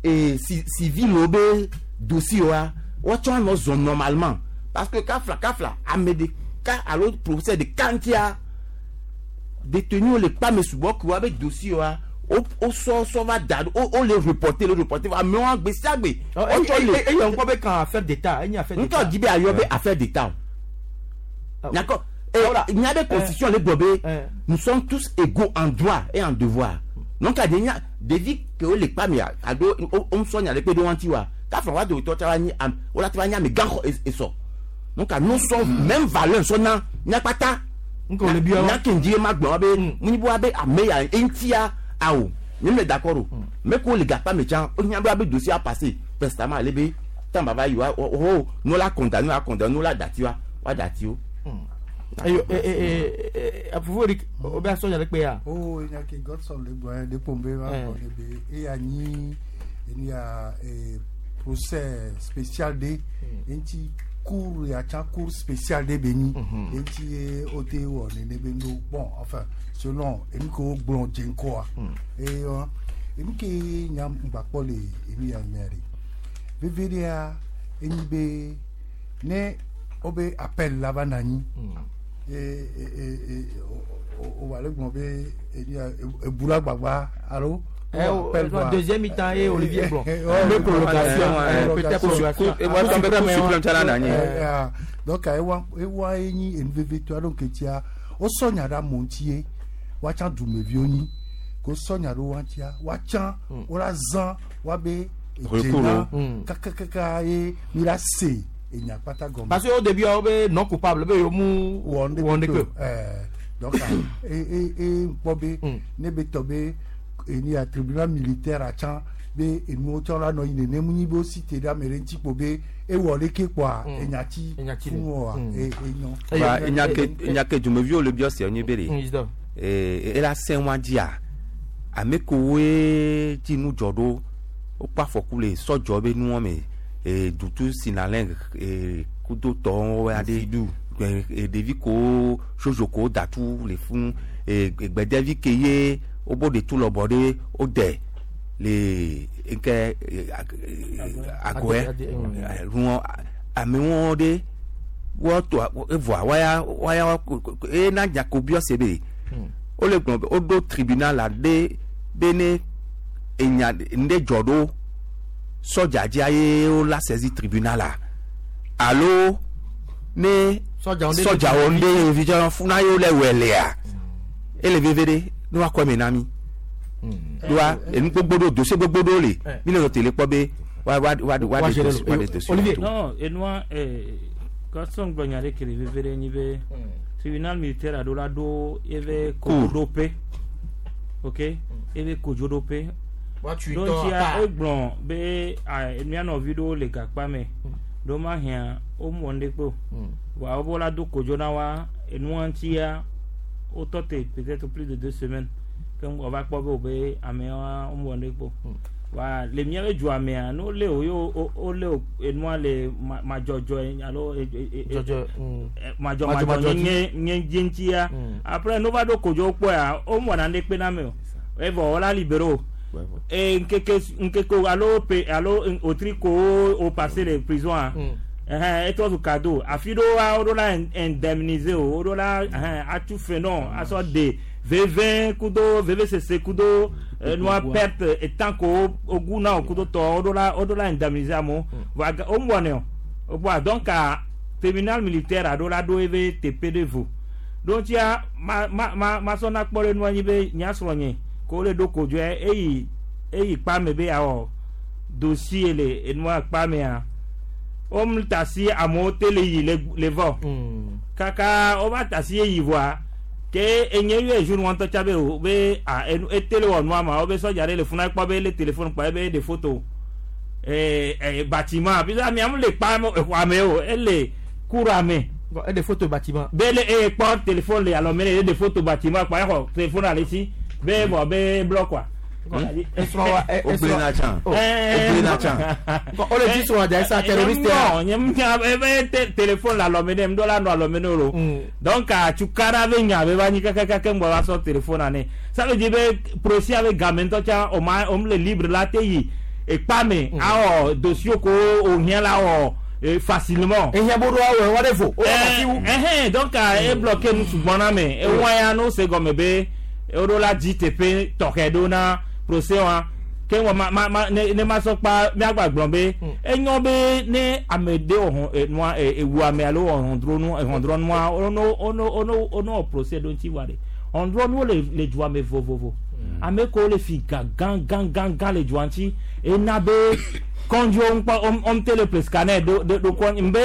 ee ci civil wo be dossier wa wotsɔ anɔ zɔn normalement parce que kafla kafla ame ɖeka alo procès ɖeka ŋutia détenu wo le kpa me sugbɔ ke wa be dossier wa wo wo sɔ sɔ va da ɖo wo wo le reporter le reporter amewo gbe sia gbe. Wotsɔ le eye ŋkɔ be kan affaire d'état enye affaire d'état. ŋutɔ di be ayɔ be affaire d'état o. Nyakɔ eh, nya be constitution le gblɔ be nous sommes tous égaux en droit et en devoir donc ade nya ɖevi ke wo le kpa mea alo wo wo sɔ nya ɖe kpe ɖe wo ŋuti wa kafla wa dometɔ tsa va nyi am wo la te va nyi ame gã xɔ es- esɔ donc nous sommes même valeur sɔ na nyakpata nya ke ŋdi ye ma gblɔ wa be ŋunyi be wa be ame ya eŋutia awo nye me d'accord o me ko le gakpa me tsã wo nya be wa be dossier a passé prestamment ale be temps ba va yi wa o o no la condamné wa condamné no la dati wa wa dati o. Ayo eh eh eh afufu Eric o be asɔ nya ɖe kpe ya. o nya ke Godson le gblɔ ɖe kpom be va Eh. gbɔ ɖe be eya nyi enu ya eh, procès spécial ɖe eŋuti cour ya tsã cour spécial ɖe be nyi eŋuti ye wote wɔ nene be no bon enfin selon enu ke wogblɔ dze ŋkɔa eye wa enu ke nya ŋgbakpɔ le enu ya mea ɖe veve ɖea enyi be ne wobe appel la va na anyi e e e e o o va le gblɔ be enu ya ebula gbagba alo. Eh, oh, euh, deuxième mi-temps et Olivier Blanc. Le Le prolongation, eh, peut-être prolongation. Et moi, Cour je suprême, suprême, tsa la na anyi. Eh, ah, donc ewa ewa enyi enu veve to aɖo ketia wosɔ nya ɖe amewo ŋuti ye woatsã dumeviwo nyi ko sɔ nya ɖe wo ŋutia woatsã wola zã woabe Recours, dzena mm. kakakaka ye mi la se enya kpata gɔme. Parce que au début o be non coupable be yo mu wɔ wɔ ne ne kpe kpe. ɛɛ donc e e e kpɔ be ne be tɔ be eni ya tribunal militaire atsã be enuwo tsɔ la nɔ yi nenem nyi be wo si te ɖe ame ɖe ŋuti kpo be ewɔ leke kpoa enyati Enyati le. fún wa Mm. e enyo. Wa enya ke enya ke dumeviwo le biɔ se nyi be Mm, de. Isidore. Ee ela sɛ wa dzia ame kowoe dzi nu dzɔ ɖo wokpɔ afɔku le sɔdzɔ be nuwɔ me ee dutu sinalɛ ee kudo tɔwo aɖe ɖevi ko soso ko datu le funu gbɛdɛvi ke ye wobo de tu lɔbɔ ɖe wode le nke agɔɛ nuɔ amewo ɖe wɔtɔ evoa waya waya ena jakobiɔ se be wole gblɔ be woɖo tribunal la ɖe be ne enya ŋɖe dzɔ ɖo sɔdza dzia ye wola saisi tribunal la alo ne sɔdzawo ŋɖe vi funa ye wole wɔ lea ele veve ɖe ne woakɔ eme na mi doa enu gbogbo ɖo dossier gbogbo ɖo le mi le tele kpɔ be wa wa wa wa de dossier wa de dossier. Non, enua kɔsɔn gblɔ nya ɖe ke le veve ɖe nyi be tribunal militaire aɖo la ɖo eve kodzoɖoƒe, ok, eve kodzoɖoƒe. Ɖontsia egblɔ be mía nɔvi ɖewo le gakpa me, ɖewo ma hiã womɔ ŋɖe kpe o, voa wobe la do kodzo na wa enua ŋutia wotɔ te peut-être plus de deux semaines ke wova kpɔ be wo be amewa womɔ ŋɖe kpe o. Wa le míabe dzoa mea ne wolé o ye wolé o enua le madzɔdzɔ alo madzɔmadzɔ nye nye dzi ŋutia après ne wova ɖo kodzo kpɔa womɔna ŋɖe kpe na ame o evɔ wola libéré o e nkeke nkeke alo pe alo otri ko o passé le prison a ɛhɛn etrɔ zu cadeau afi ɖewoa woɖo la indemniser o woɖo la ɛhɛn atu fe nɔ asɔ de veve kudo veve sese kudo nua perte etan ko ogu na o kudo tɔ woɖo la woɖo la indemniser amewo voa womɔnɛ o voa donc tribunal militaire aɖo la ɖo eve teƒe ɖe vo ɖontsia ma ma ma masɔ na kpɔ ɖe nua nyi be nyasrɔ̃ nye ko wole ɖo kodzoe eyi eyi kpame be awɔ dossier le enua kpamea wom tasi amewo te le yi le le vɔ kaka wova tasi eyi vɔa ke enye yɔ jour wɔntɔ tsa be o be a enu ete le wɔ nua ma wo be sɔdza ɖe le funa kpɔ be le téléphone kpɔ ebe de photo ee ee bâtiment puisque amea mu le kpa exɔa me o ele kura me. E de photo bâtiment. Be le e kpɔ téléphone le alɔ me le de photo bâtiment kpɔ exɔ téléphone ale si be bɔ be bloc quoi. Oblena chan. Oblena chan. O le di sɔrɔ ja sa terroriste. Non, nye nya ebe téléphone la alɔ me ne ŋdɔ la nɔ alɔ me ne o. Donc atsukara be nya be va nyi kakaka ŋgbɔ va sɔ téléphone ane. Ça veut dire be procès avec game ŋutɔ tsa o ma o le libre la te yi ekpa me awɔ dossier ko o hiã la wɔ facilement. Ehiã bo ɖo awɔ wa de vo. Ɛhɛn donc e bloqué nu sugbɔ na me. Ewa ya no se gɔme be eɖo la dzi teƒe tɔxɛ ɖo na procès wa ke wɔ ma ma ma ne ne ma sɔ kpa miagba gblɔ be enyɔ be ne ame ɖe wɔ nua ewu ame alo wɔ hɔndronu hɔndrɔnua ono ono ono ono wɔ procès ɖo ŋuti wa de hɔndrɔnuwo le le dua me vovovo ame kewo le fi gã gã gã gã gã le dua ŋuti ena be kɔndziwo ŋkpɔ om te le ple scanner do do do kɔ nbe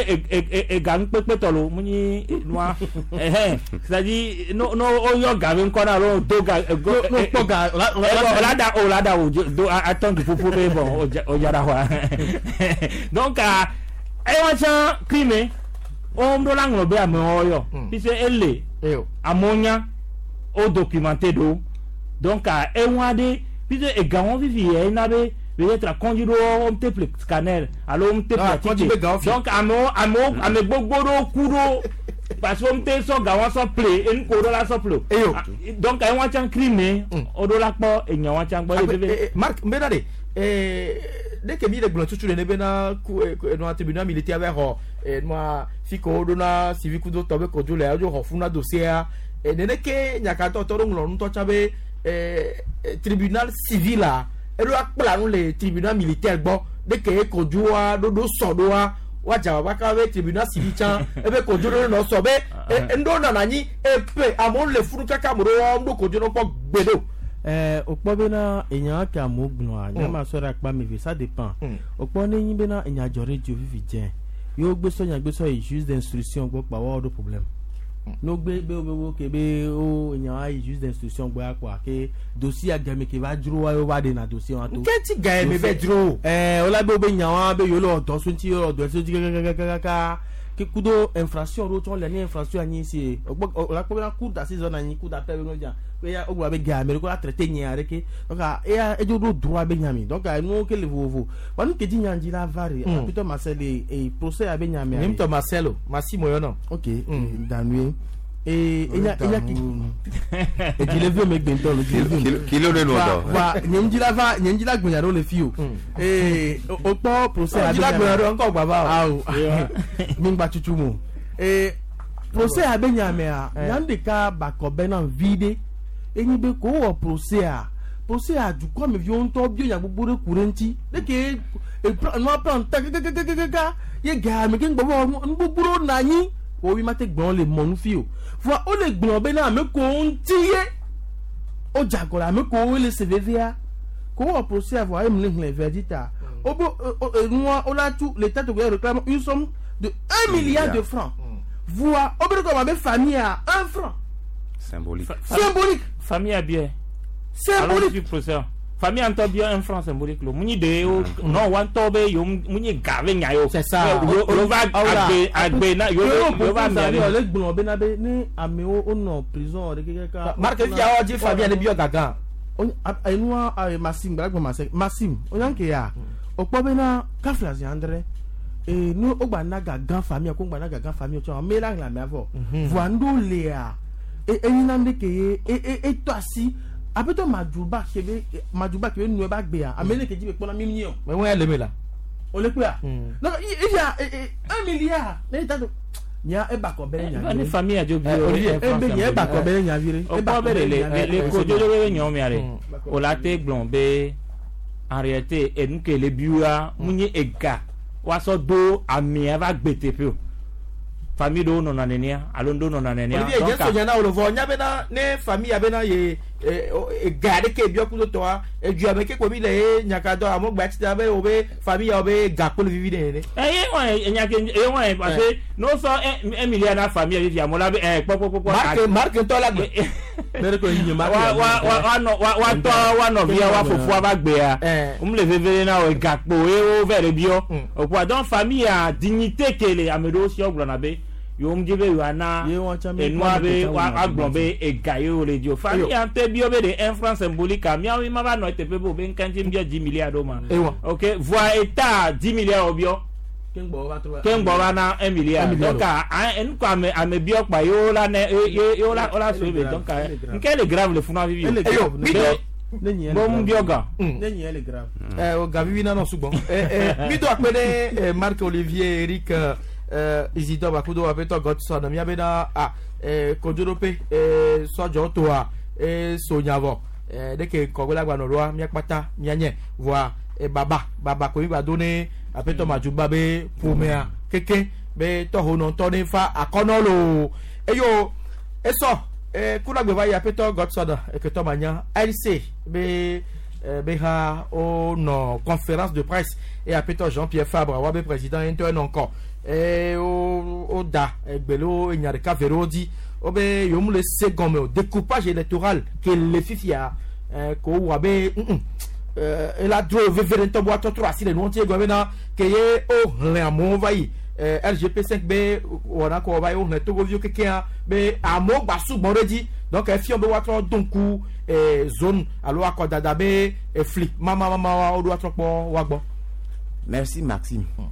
ega ŋkpekpe tɔ lo mu nyi nua ɛhɛn c'est à dire no no oyɔ ga be ŋkɔ na alo do ga no kpɔ ga o la da o la da o do atɔn du ƒoƒo be bɔn o dzara xɔa donc ewa tsã crime wɔm ɖo la ŋlɔ be amewo yɔ puisque ele amewo nya o documenté ɖo donc ewa ɖe puisque ega wɔn fifi yɛ ena be peut-être kɔndzi ɖo wɔm te ple scanner alo wɔm te ple atike donc amewo amewo ame gbogbo ɖewo ku ɖo parce que wɔm te sɔ ga wɔn sɔ ple enu ko ɖo la sɔ ple o donc ewa tsã crime o ɖo la kpɔ enya wɔn tsã gbɔ. Marc n bɛ na de ne ke mi le gblɔ tutu le ne bena ku enua tribunal militaire bɛ xɔ enua fi ko ɖo na civil kudo tɔ be kodzo le adzo xɔ funa dossier nene ke nyakatɔ tɔ ɖo ŋlɔ nutɔ tsã be tribunal civil la eɖo akpla nu le tribunal militaire gbɔ ne ke kodzoa ɖoɖo sɔ ɖoa woadza baba kaba be tribunal civil tsã ebe kodzo ɖo nɔ sɔ be ŋɖo nana anyi epe amewo le funu kaka ame ɖewo ɖo kodzo nɔ kpɔ gbe ɖo. Eh, o kpɔ bena enya ke amewo gblɔa nya ma sɔ ɖe akpa me ve ça dépend o kpɔ ne nyi bena enya dzɔ ɖe dzo vivi dze yewo gbe sɔ nya gbe sɔ yi juge d'instruction gbɔ kpa woawo ɖo problème no gbe be wo be wo ke be wo enya wa yi juge d'instruction gbɔ ya kpoa ke dossier game ke va dzro wa yewo va ɖena dossier wa to. Nke ti ga ye me bɛ dzro. Ɛɛ wola be wo be nya wa be yewo le wɔ dɔ so ŋuti yewo le wɔ dɔ so ŋuti kakakakaka Ke kudo infraction ɖewo tsɔ le ne infraction anyi si o la kpɔ bena cour d'assises na anyi cour d'appel be no dza eya o gblɔ be ga ame ɖe ko la traité nya ɖe donc eya edzo ɖo droit be nyami donc nuwo ke le vovovo wa nu ke dzi nya dzi la va re Peter Marcel e procès abe nyami ni mtɔ Marcelo Massimo yɔ ok danue e enya enya ki edile vi me gbentɔ lo edile vi kilo ne no dɔ wa nye ŋdzi la va nye ŋdzi la gbenya ɖo le fi o ee o kpɔ procès abe la gbenya ɖo ŋkɔ gbava o awo mi ŋgba tutu mo ee procès abe nyamea nya ɖeka bakɔ bena vi ɖe enyi be ko wɔ procès a procès a dukɔ me viwo ŋutɔ bio nya gbogbo ɖe ku ɖe ŋuti ɖeke nua plan ta kakakakaka ye ga me ke ŋgbɔ bɔ nu gbogbo ɖewo nɔ anyi wo mi ma te gblɔ le mɔnu fi o voa wo le gblɔ bena ame kowo ŋuti ye wo dze agɔ le ame kowo le se vevia ko wɔ procès voa eye mi le hlẽ verdict ta wo be enua wo la tu l'état togolais réclame une somme de un milliard de francs voa wo be ɖe kɔ ma be famille a un franc symbolique symbolique famille a bien symbolique procès famille ŋutɔ bia un franc symbolique lo munyi de o non wa ŋutɔ be yo munyi ga be nya yo c'est ça yo va agbe agbe na yo yo va mia le gblɔ bena be ne amewo wonɔ prison ɖe kekeka Marc fia dzi famille ne biɔ gagã enua Maxime gbala gblɔ Maxime o ke ya o kpɔ bena kafla zi andre ee ne o gba na gagã famille ko gba na gagã famille tsɔ ame la hlẽ amea vɔ voa ŋɖo lea enyina ɖe ke ye e tɔ asi apetɔ madzuba kebe madzuba kebe nue ba gbea ame ne ke dzi be kpɔna mi nyi o. mɛ ŋun yɛ leme la. o le kpea. donc il y a un milliard ne yi ta to nya eba kɔ bɛ nya vi. ne famille adzo bi o e be nya eba kɔ bɛ nya vi re. o kɔ bɛ de le le kodzo be nyɔ mia de o la te gblɔ be en réalité enu ke le biwa mu nye ega woasɔ do amea va gbe teƒe o. Famille ɖewo nɔna nenea alo ŋɖewo nɔna nenea. Olivier dze sonya na wo le vɔ nya bena ne famille bena ye ga ɖe ke biɔ kudo tɔa edua me ke ko mi le ye nyaka dɔ amewo gba tsi be wo be famille yawo be ga kpɔ le vivi ɖe nene. Eye wɔn enya ke eye wɔn parce que n'o sɔ un milliard na famille vivi amewo la be ɛ kpɔkpɔkpɔ. Marc Marc ŋutɔ la gbe. Wa wa wa wa nɔ wa wa tɔ wa nɔvia wa fofoa va gbea wo le veve na wo gakpo ye wo vɛ le biɔ o quoi donc famille a dignité ke le ame ɖewo si gblɔna be yo ŋdzi be yoana enua be agblɔ be ega ye wo le di o famille ŋutɔ biɔ be de un franc symbolique miawo ma va nɔ teƒe be o be ŋka ŋuti biɔ dix milliards ɖo ma ok voa eta dix milliards wo biɔ keŋgbɔ va na un milliard donc enu ko ame ame biɔ kpa ye wo la ne ye ye wo la wo la so be donc nke le grave le funu vivi o bon mu biɔ gan. Ne nyɛ le grave. Ɛ o ga vivi nanɔ sugbɔ ɛ ɛ mi do akpe ɖe Marc Olivier Eric. Isidore Bakudo apetɔ Godson mía bena a kodzoɖoƒe sɔdzɔ toa sonyavɔ ɖeke kɔgbe la gbanɔ ɖoa mía kpata mía nye voa baba baba ko mi gba do ne apetɔ Madzuba be ƒomea keke be tɔhonɔtɔ ne fa akɔnɔ loo eyo esɔ kunagbe va yi apetɔ Godson eketɔ manya L C be be ha wonɔ conférence de presse et apetɔ Jean-Pierre Fabre wa be président ye ŋutɔ enɔ ŋkɔ ee wo wo da egbelewo enya ɖeka ve ɖewo dzi wobe yewo mu le se gɔme o découpage électoral ke le fifia ɛɛ ko wɔ abe ŋ ɛɛ ela dro veve ɖe ŋutɔ be woatrɔtrɔ asi le nuwo ŋuti egɔme bena ke ye wo hlẽ amewo va yi ɛɛ L G P cinq be wɔna kɔ va yi wo hlẽ togoviwo kekeŋ be amewo gba sugbɔ ɖe dzi donc efiɔ be woatrɔ do ŋku ɛɛ zone alo akɔdada be efli mamamama wo ɖo woatrɔ kpɔ woagbɔ. Merci Maxime. Mm.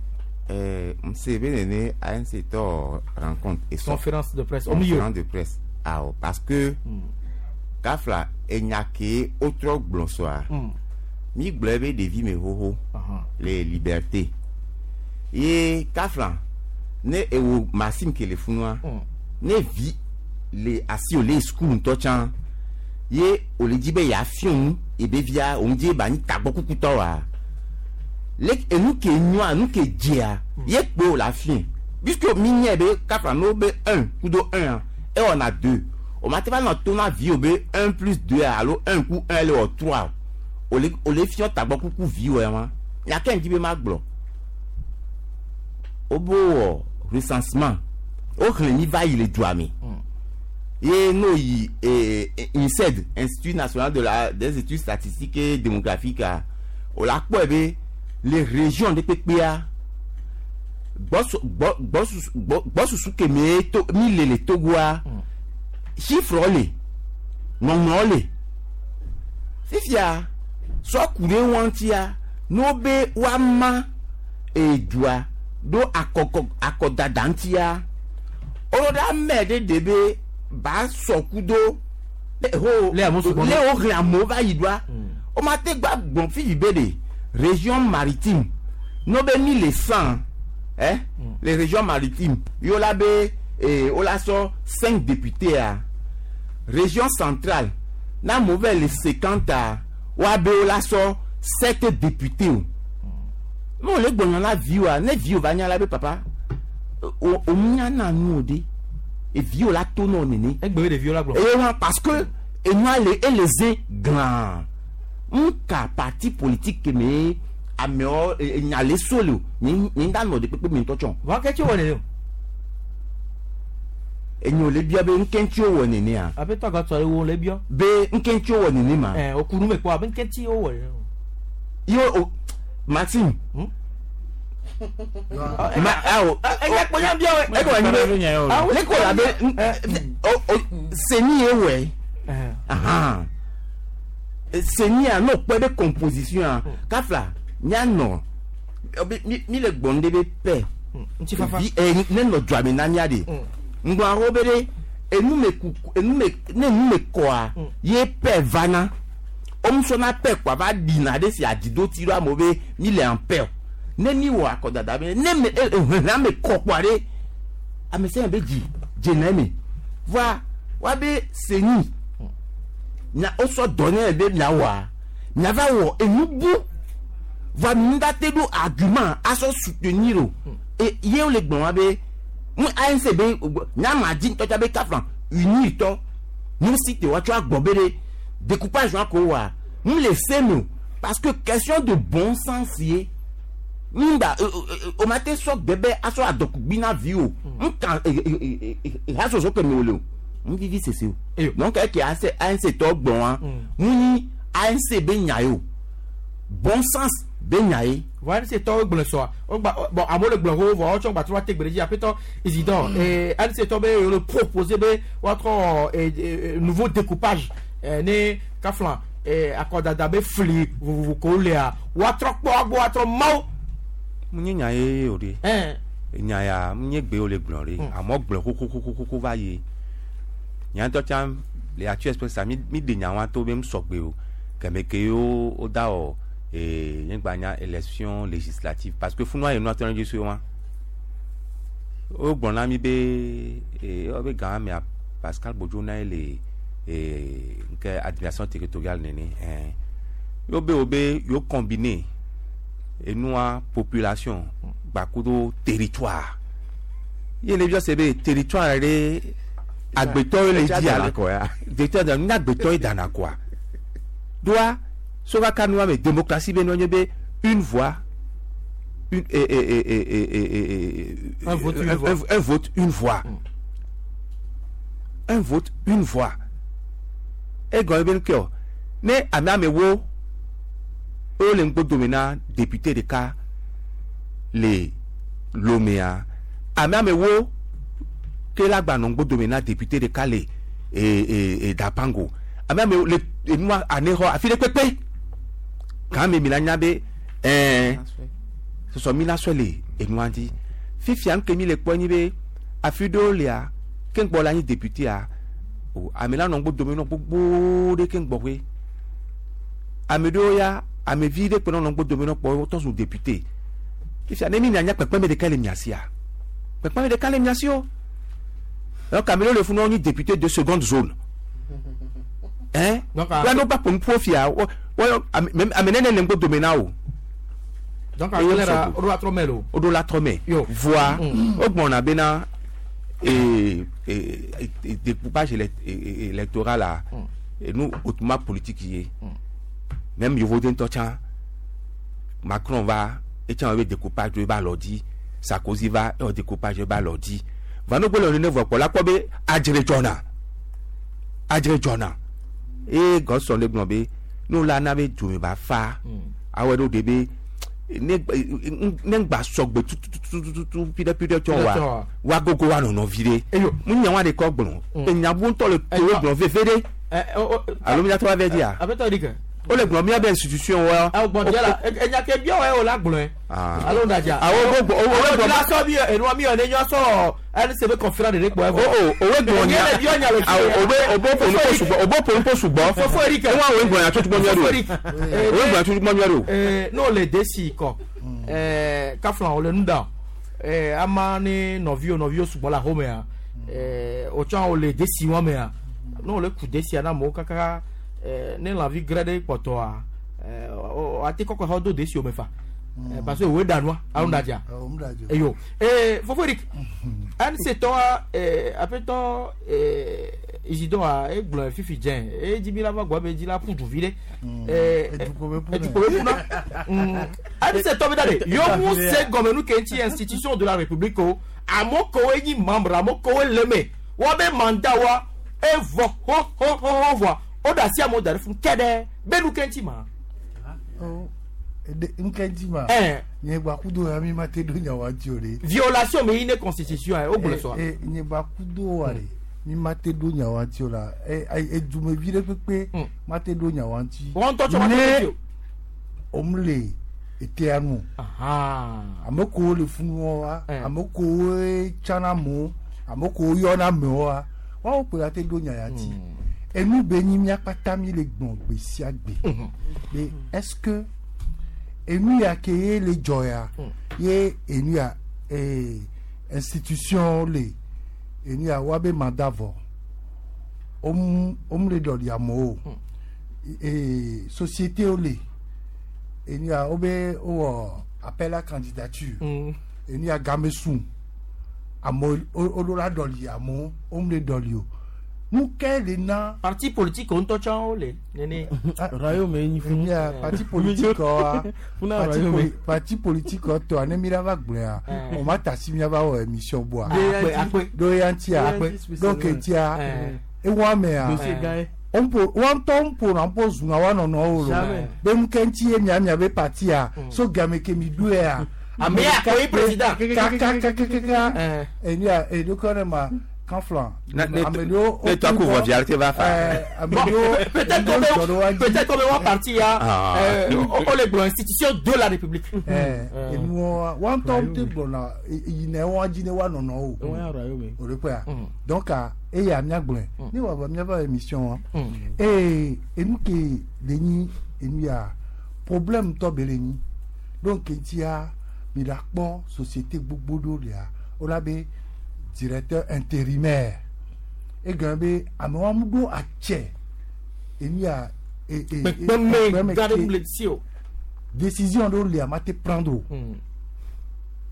Euh, M C B N A N C rencontre et conférence de presse. Conférence de presse. Ah, parce que kafla enyake autre blonsoir. Mi gblɔ ɖevi me xoxo les libertés. Ye kafla ne ewo Maxime ke le funua ne vi le asi o le school ŋutɔ tsã ye o le dzi be yeafiɔ nu ebe via o ŋdzi ba nyi tagbɔ kukutɔ wa. Le enu ke nyoa nu ke dzea ye kpe o la fiɛ puisque mi nye be kafla no be un kudo un e wɔna deux o ma te va nɔ to na vi o be un plus deux alo un ku un le wɔ trois o le o le fiɔ tagbɔ kuku vi wɔ ya ma nyake ŋdzi be ma gblɔ o bo wɔ recensement o xlẽ mi va yi le dua me ye n'o yi ee INSED Institut national de la des études statistiques et démographiques o la kpɔe be les régions de P P A Gbɔsusu ke mi to mi le le Togoa chiffre le ŋɔŋlɔ le fifia sɔku ɖe wɔntia n'o be woama edua ɖo akɔkɔ akɔdada ŋutia wòɖo ame ɖe ɖe be ba sɔku do le ho Le amewo sugbɔ le wo xlẽ amewo va yi ɖoa woma te gba gbɔn fifi be de région maritime n'o be mi le cent hein les régions maritimes yo la be eh, wo la sɔ cinq députés a région centrale na mauvais le cinquante a woa be wo la sɔ sept députés o n'o le gbɔnyɔ la vi wa ne vi o va nya la be papa o o nya na nu o de evi o la to n'o nene. Egbe ɖeviwo la gblɔ. eye wa parce que enua le ele ze glã nka parti politique ke me amewo nya le so le o nye nye da nɔ de kpekpe mi ŋutɔ tsɔ. Wa ke tsi wɔ nene o. Enyo le bia be nkɛntsi wɔ nenea. Aƒetɔ agatɔ le wo le biɔ. Be nkɛntsi wɔ nene ma. Ɛ o kunu me kpɔ abe nkɛntsi wo wɔ nene o. Yo o Maxime. Ma awo. Ɛ kpɔ nya bia wɛ. E ko anyi be ne ko la be o o seni ye wɛ. Ahan. Seni a n'o kpɛ be composition a kafla mianɔ mi mi le gbɔn de be pɛ. Ŋutifafa. Vi ɛ ne nɔ dzɔame na mia de. Ŋgbɔn awo be ɖe enu me ku enu me ne enu me kɔa ye pɛ vana womusɔna pɛ kɔa va ɖina ɖe si adzido ti ɖo amewo be mi le en paix o ne mi wɔ akɔdada be ne me e ehlẽ ame kɔ kpɔa ɖe ame sia ame be dzi dzena eme voa wa be seni nya wosɔ dɔ ne be miawɔa miava wɔ enu bu voa mi ŋda te ɖo argument asɔ soutenir o e ye wole gblɔ wa be mu ANC be nyama dzi ŋutɔ tsa be kafla unir tɔ nu si te woatsɔ agbɔ be ɖe découpage wa ko wa mu le se me o parce que question de bon sens ye ŋgba o ma te sɔ gbɛ bɛ asɔ adɔkugbi na vi o nkan hasoso ke me wo le o n vivi sese o donc eke ANC ANC tɔ gbɔn wa mu nyi ANC be nya ye o bon sens be nya ye. Voa ANC tɔwo gblɔ sɔa o gba bon amewo le gblɔ xoxo vɔ wotsɔ gba trɔ te gbe ɖe dzi aƒetɔ Isidore ee ANC tɔ be yewo le proposer be woatrɔ ee nouveau découpage ee ne kafla ee akɔdada be fli vovovo ko lea woatrɔ kpɔ agbo woatrɔ mawo. Mu nye nya ye o de. Ɛn. Nya ya mu nye gbe wo le gblɔ ɖe amewo gblɔ xoxoxoxoxo va yi nya ŋutɔ tsã le Actu Express mi mi ɖe nya wa to be mu sɔgbe o kɛmɛ ke wo wo da wɔ ee nye gba nya élection législative parce que funua yi nua tɔ ne dzi so wa wo gblɔ na mi be ee wo be gã mea Pascal Bodzo na ye le ee nke administration territoriale nene ɛn yo be wo be yo combiner enua population gbakudo territoire ye le biɔ se be territoire ɖe agbetɔwo le dzi ala territoire de nu agbetɔwo dana koa doa sokaka nua me démocratie be nua nye be une voix une et et et et et et Un vote, une voix. un, un vote une voix un vote une voix egɔn ebe nke o ne ame amewo wo le ŋgbo na député ɖeka le Lomea ame amewo ke la gba nɔ ŋgbo na député ɖeka le e e e Dapango ame amewo le enua anexɔ afi ɖe kpekpe kan mi mi la nya be ɛɛ sɔsɔ mi la sɔ le enua dzi fifia nu ke mi le kpɔ nyi be afi ɖewo lia ke ŋgbɔ la nyi député o ame la nɔ ŋgbo dome nɔ gbogbo ɖe ke ŋgbɔ koe ame ɖewo ya ame vi ɖe kpe nɔ ŋgbo dome nɔ kpɔ wotɔ zu député fifia ne mi nya kpekpeme ɖeka le mia sia kpekpeme ɖeka le mia si o donc ame ɖewo le funu nyi député de seconde zone hein wa no ba pom po fia wo wo ame nene le ŋgbo dome na o. Donc akele la o do la trɔ mɛ lo. O do la trɔ mɛ. Voa o gbɔna bena ee ee découpage électoral la enu autrement politique ye même yovoden tɔ tsã Macron va etsã be découpage do eba lɔ dzi Sarkozy va ewɔ découpage eba lɔ dzi va no gbɔlɔ nene vɔ kpɔ la kpɔ be adzre dzɔna adzre dzɔna eye gɔsɔn le gblɔ be n'o la na be dome ba fa awɔ ɖo de be ne ne ŋgba sɔgbe tututututu piɖe piɖe tsɔ wa wa gogo wa nɔnɔ vi ɖe mu nya wa de kɔ gblɔ enyabu ŋutɔ le to gblɔ veve ɖe alo miatɔ wa vɛ dia Aƒetɔ Eric. o le gblɔ mia be institution wa. Awo gbɔn dia la enya ke bia wa o la gblɔe. Alo ndaja. Awo gbɔ o o gbɔ. La sɔ bi enua mi yɔ ne nyɔ sɔ N C B conférence de kpɔ. O o o we gblɔ nya awo o be o bo ponu ko sugbɔ o bo ponu ko sugbɔ. Fofo Eric. O wa o gblɔ nya tutu gbɔ mia do. O gblɔ nya tutu gbɔ mia do. Ee n'o le desi kɔ ɛɛ kaflan o le nu da ɛɛ ama ne nɔviwo nɔviwo sugbɔ le axɔmea ɛɛ o tsã o le desi wɔn mea n'o le ku desia na amewo kaka. Ne lãvi grɛ ɖe kpɔtɔa ate kɔkɔ xɔ do desi o me fa parce que òwe danua alo ŋdadza eyo ee fofo Eric N C tɔa aƒetɔ Isidore egblɔ fifi dze edzi mi la va gbɔ be edzi la ƒu duvi ɖe edukɔ be ƒuna N C tɔ bi da de yomu se gɔmenu ke ŋuti institution de la République o amewo kewoe nyi membre amewo kewoe le me woabe mandat wa evɔ ho ho ho ho vɔa. O da si amewo da ɖe fún kɛɖɛ be nu ke ŋuti ma. Nke ŋuti ma. Nye gba kudo ya mi ma te do nya wa ŋuti o de. Violation mi yi ne constitution yɛ o gblɔ sɔa. Ee nye gba kudo wa de mi ma te do nya wa ŋuti o la edumevi ɖe kpekpe ma te do nya wa ŋuti. Wɔn tɔ tsɔ ma te do ŋuti o. O mu le etea nu. Ame kowo le funu wa ame kowo tsana amewo ame kowo yɔna amewo wa wɔn kpe la te do nya ya ŋuti. Enu be nyi miakpata mi le gbɔn gbe sia gbe be est-ce que enu ya ke ye le dzɔ ya ye enu ya ee institution le enu ya wa be mandat vɔ om om le ɖɔli amewo ee société wo le enu ya wo be wowɔ appel à candidature enu ya game sun amewo wo ɖo la ɖɔli amewo om le ɖɔli o. Nu ke le na. Parti politique ŋutɔ tsã wo le nene. Royaume nyi funu. Ya parti politique wa parti parti politique tɔ ne mi la va gblɔa o ma ta si mi va wɔ émission boa. Akpe akpe. Do ya ŋutia donc ŋutia ewa mea. Ŋpo wa ŋutɔ ŋpo na ŋpo zuna wa nɔnɔwo lo. Be nu ke ŋuti ye mia mia be partia so game ke mi ɖoe ya. Ame ya koe président. Kakakakaka. Enya edokɔ ne ma. Kanflan. Ne toi couvre vialité va faire. Peut-être qu'on peut-être qu'on va partir ya. On les blancs institution de la République. Eh nous on tombe te bon là il n'est on dit ne wa non non. O le quoi. Donc et ya mia gblon. Ni wa va mia va émission et et nous qui le ni et nous ya problème to be le ni. Donc tia mi la kpɔ société gbogbo do ya. O la be directeur intérimaire et gambé amewo do atse enia e e décision do le amate prendre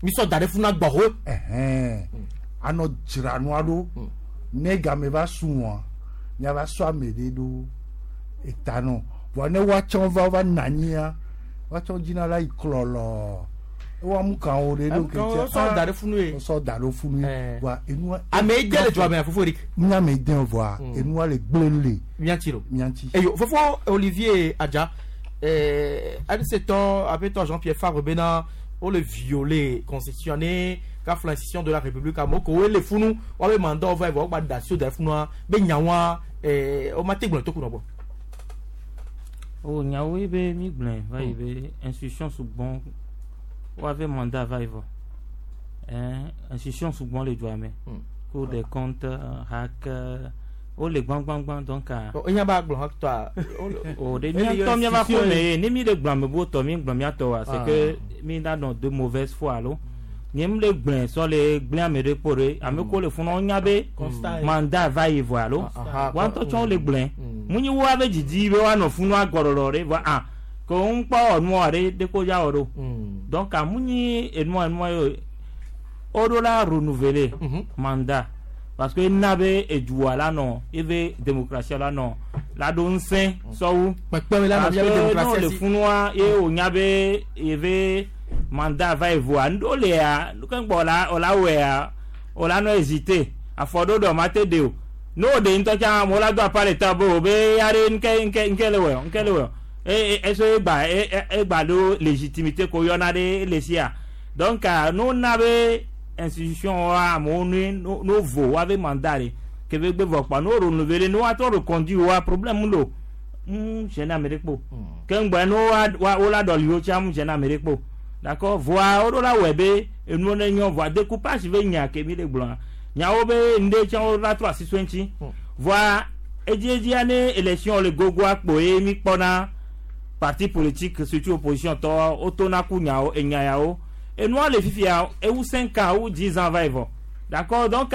mi so dare funa gboho eh ano dzranu ado ne game va suwon nya va so amede do etano vo ne wa tson va va nanyia wa tson jina la iklolo wa mu kan o de do ke ti so dare funu e so dare funu wa enu ame de le joa me fofo Eric nya me den voa enu le gblele mianti lo mianti eyo fofo Olivier Adja eh adeseto apeto Jean-Pierre Fabre bena o le violer constitutionné ka l'institution de la République amoko le funu wa be mandat va va gba da so dare funu be nyawa eh o ma te gbon to ku no bo o nyawo be mi gblen va be institution sou bon ou avait mandat va y hein institution souvent les doigts mais Cour des comptes hack o le gbang gbang gbang donc o nya ba gbon toi o de mi to mi va ko me ni mi le gbang me bo to mi gbang mi to wa c'est que mi na dans de mauvaise foi alo ni mi le gbang so le gbang me de pore ame ko le fun on nya be mandat va y voir alo wa to chon le gbang mu ni wo be didi be wa no fun wa gororo re va ah ko n kpɔ ɔnua ɖe de ko ya wɔ ɖo donc amunyi enua enua ye o do la renouveler mandat parce que ena be edua la nɔ ebe démocratie la nɔ la do ŋusẽ sɔwu parce que n'o le funua ye o nya be ebe mandat va evoa ŋdo lea keŋgbɔ la o la wɔea o la nɔ hésiter afɔ ɖo ɖɔ ma te de o n'o de ŋutɔ tsã amewo la do apa le ta be o be ya ɖe ŋke ŋke ŋke le wɔ ŋke le wɔ. E e so egba egba do légitimité ko yɔna ɖe le sia. Donc no na be institution wa amewo nu no vo wa be mandat de ke be gbe vɔ kpa no renouveler no wa trɔ reconduire wa problème lo. Mm gêne ame ɖe kpo. Ke ŋgbɛ no wa wa wo la ɖɔli wo tsa mu gêne ame ɖe kpo. D'accord, voa wo ɖo la wɔe be enuwo ne nyɔ voa découpage be nya ke mi le gblɔa. Nyawo be ŋɖe tsã wo la trɔ asi so eŋuti. Voa edziedzia ne élection le gogoa kpoe mi kpɔna parti politique surtout opposition tɔ wotona ku nyawo enya yawo. Enua le fifia ewu cinq ans ou dix ans va yi vɔ. D'accord, donc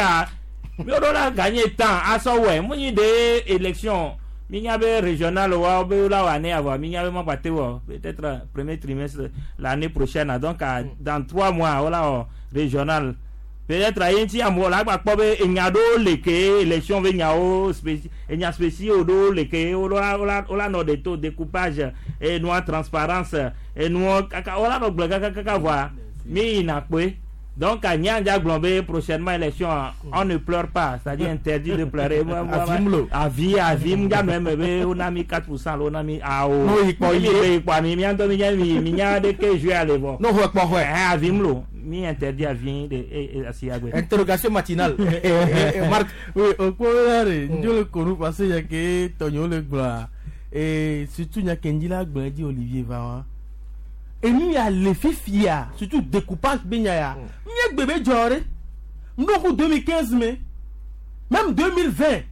mi wo ɖo la gagner temps asɔ wɔe mu nyi de élection mi nya be régional wa be la wɔ année avant mi nya be ma gba te wɔ peut-être premier trimestre l'année prochaine donc dans trois mois wo la wɔ régional peut-être ayi ŋuti amewo la gba kpɔ be enya ɖewo le ke élection be nyawo spéci enya spéciaux ɖewo le ke wo la wo la wo la nɔ de to découpage enua transparence enua kaka wo la nɔ gblɔ kaka kaka voa mi yina kpoe. Donc, à Nyanja Glombe, prochainement élection, on ne pleure pas, c'est-à-dire interdit de pleurer. Avis, avis, on a mis quatre pour cent, on a mis ah oh. Non, il il mi mi mi mi mi de que jouer aller voir. Non, ouais, avis mlo, mi interdit avis de asiagwe. Interrogation matinale. Marc, oui, au point je le connais parce que y a que Tonio le gba et surtout y a Kendila gba dit Olivier va. Et nous y a les fifia, surtout découpage benyaya. N'y bébé jore. Nous deux mille quinze mais même deux mille vingt.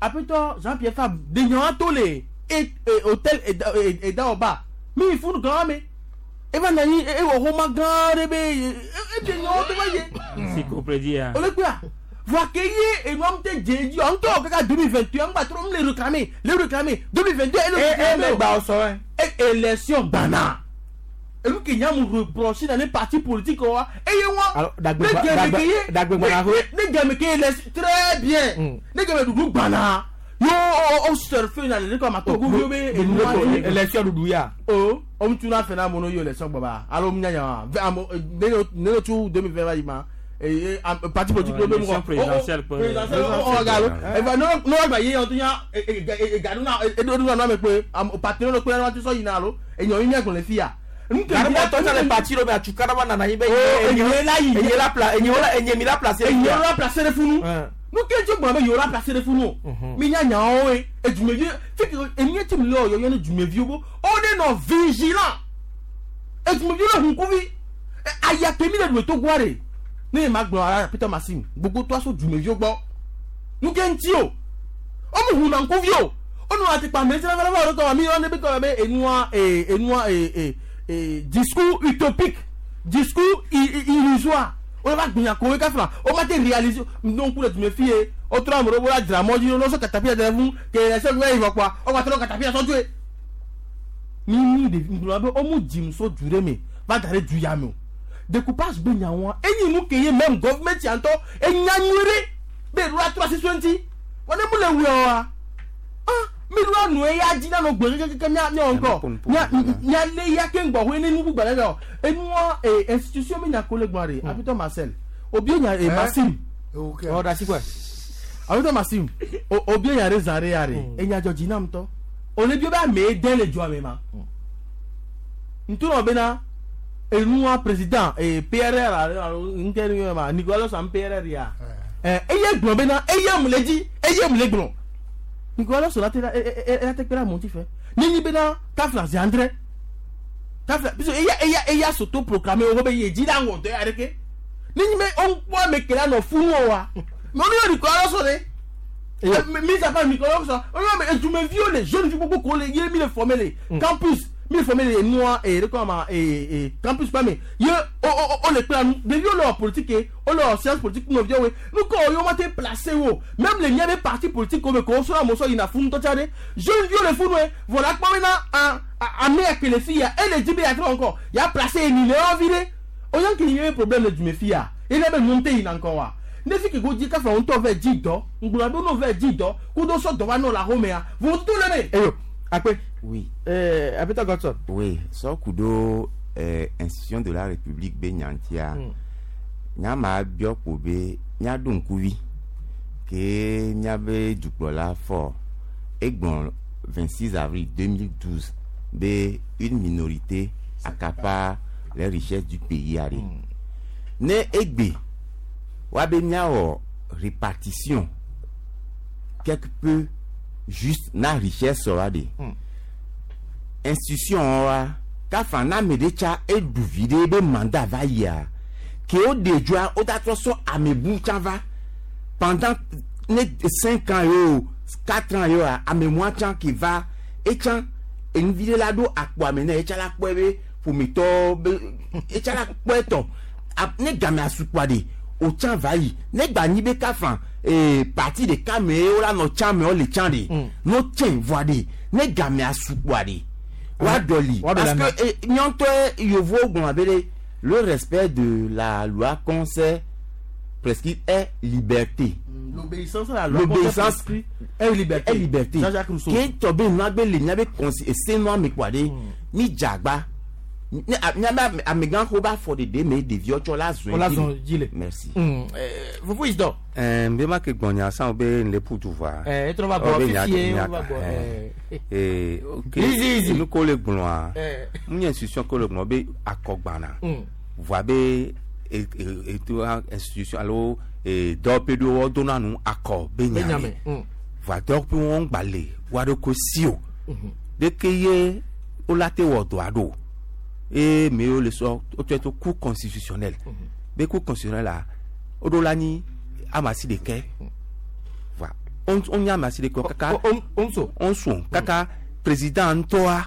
Après toi Jean-Pierre Fab de tolé et hôtel et et d'en bas. Mais il faut nous grand mais et va nani et au Roma grand bébé et et non te voyez. C'est compris hein. On le quoi? Voir que et moi m'te dit encore deux mille vingt et un va trop les réclamer, les réclamer deux mille vingt-deux et le et et bah et élection banane. Et nous qui avons reproché dans les partis politiques, et alors, très bien. Yo, on surfe dans les comme à Togo, élection Doudouya. Oh, on tourne à faire mon élection baba. Alors, m'nya, deux mille vingt, et parti politique élection présidentielle présidentielle on regarde et ben non non ba yi on tinya et gaduna et do no me pe parti no pe no ti so yina lo e yan yin kon le fia Garba toi ça les partis lo mais tu caraba nana yi be enye la yi enye la pla enye la enye mi la placer enye la placer de funu nous que tu gba me yo la placer de funu mi nya nya o e edumevi fi que enye ti mi lo yo yo ne dumevi bo o de no vigilant edumevi lo hun kuvi aya temi le to gware ne ma gbon ara Peter Massim gbogbo to aso dumevi gbo nu ke nti o o mu hun na kuvi o o nu ati pa me se la la ko mi on be ko be enua e enua e e Et discours utopique, discours illusoire. On va bien courir on va te réaliser. Donc, pour me fier, autre homme, on va dire, moi, je ne sais pas de vous, que les seuls, il va quoi? On va te catapia sans tuer. Mimi, de on dit, so duré, mais va d'aller du yamo. Découpage benyawa, et nous, qui est même gouvernement, et nyanyure, mais loi trois cent soixante. On est pour le ouah. Ah! Mi lwa nu eya dzi na nɔ gbe kekeke mía mía ŋkɔ mía mía lé ya ke ŋgbɔ hoe ne nu gbogbo ɖe o enua e institution mi nya ko le gbɔn de Apitɔ Marcel obi nya e Massim ɔ dasi kɔe Apitɔ Massim obi nya ɖe zã ɖe ya ɖe enya dzɔ dzi nam tɔ ole bi be ame den le dzoa me ma ntoma bena enua président e P R R alo ŋkɛ ni ma Nicolas Sam P R R ya ɛ eye gblɔ bena eye mu le dzi eye mu le gblɔ. Nicolas Sola la te kpera monti fait. Ni bena kafla André. Kafla puisque eya eya eya s'auto proclamer o be ye di la ngo de areke. Ni me on quoi me kela no funu wa. Mais on Nicolas Sola. Mis à part Nicolas Sola, on mais tu me violé, jeune fille beaucoup collé, il mis le formé les campus, mis formé les noirs et comment et et campus pas mais ye o o o les plan de viol politique o leur science politique nous viol nous quand on m'a placé wo même les miens des partis politiques comme qu'on soit mon il n'a fou tout ça jeune viol le fou voilà quoi maintenant a amené que les filles et les dix encore il a placé une viré on y a qu'il y a un problème du méfia il a même monté il encore ne fi que go di ka fa on to ve di do ngula do no ve di do ku do so do wa no la homea vous tout le me eyo akpe oui euh Apitɔ Godson oui so kudo euh institution de la République be nyantia nya ma bio ko be nya do nkuvi ke nya be dukpɔla fɔ egbɔn vingt-six avril deux mille douze be une minorité accapare les richesses du pays a ɖe ne egbe woabe míawɔ répartition quelque peu juste na richesse wa ɖe institution wa kafa na ame ɖe tsa eɖu vi ɖe be mandat va yia ke wo ɖe dzoa wo da trɔ sɔ ame bu tsã va pendant ne cinq ans yo quatre ans yo ame mua tsã ke va etsã enuvi ɖe la ɖo akpo ame ne etsa la kpɔe be ƒometɔ be etsa la kpɔe tɔ ne game asukua ɖe o tsã va yi ne gba nyi be kafa ee parti ɖeka me wo la nɔ tsã me wo le tsã ɖe no tsɛ voa ɖe ne game asukua ɖe wa dɔli parce que nyɔntɔ yevuwo gblɔ abe ɖe le respect de la loi qu'on sait prescrit est liberté. L'obéissance à la loi l'obéissance est liberté. Est liberté. Jean-Jacques Rousseau. Ke tɔbe nua be le mía be consi ese nua me kpɔa ɖe mi dzagba ne mía be amegã xɔ ba fɔ ɖeɖe me ɖeviwo tsɔ la zɔn O la zɔn dzi le. Merci. Fofo Isidore. Ɛɛ n bɛ ma ke gbɔnya san be n le ƒu du voa. Ɛɛ e trɔ va gbɔ fifi ye va gbɔ ɛɛ. Ee ok Easy easy. Nu ko le gblɔa. Ɛɛ. Mu nye institution ko le gblɔ be akɔgbana. Mm. Voa be e e eto institution alo e dɔwɔƒe ɖewo wodona nu akɔ be Be nya nya me. me. Mm. Voa dɔwɔƒe wɔn gba le woa ɖokui si o. Mhm. Ɖeke ye wola te wɔ dɔa ɖo. Eye me yiwo le sɔ wotsɔe to cour constitutionnel. Be cour constitutionnel la woɖo la nyi ame asi ɖekɛ. Voa wo wonye ame asi ɖekɛ kaka. Onso. Onso kaka président ŋutɔa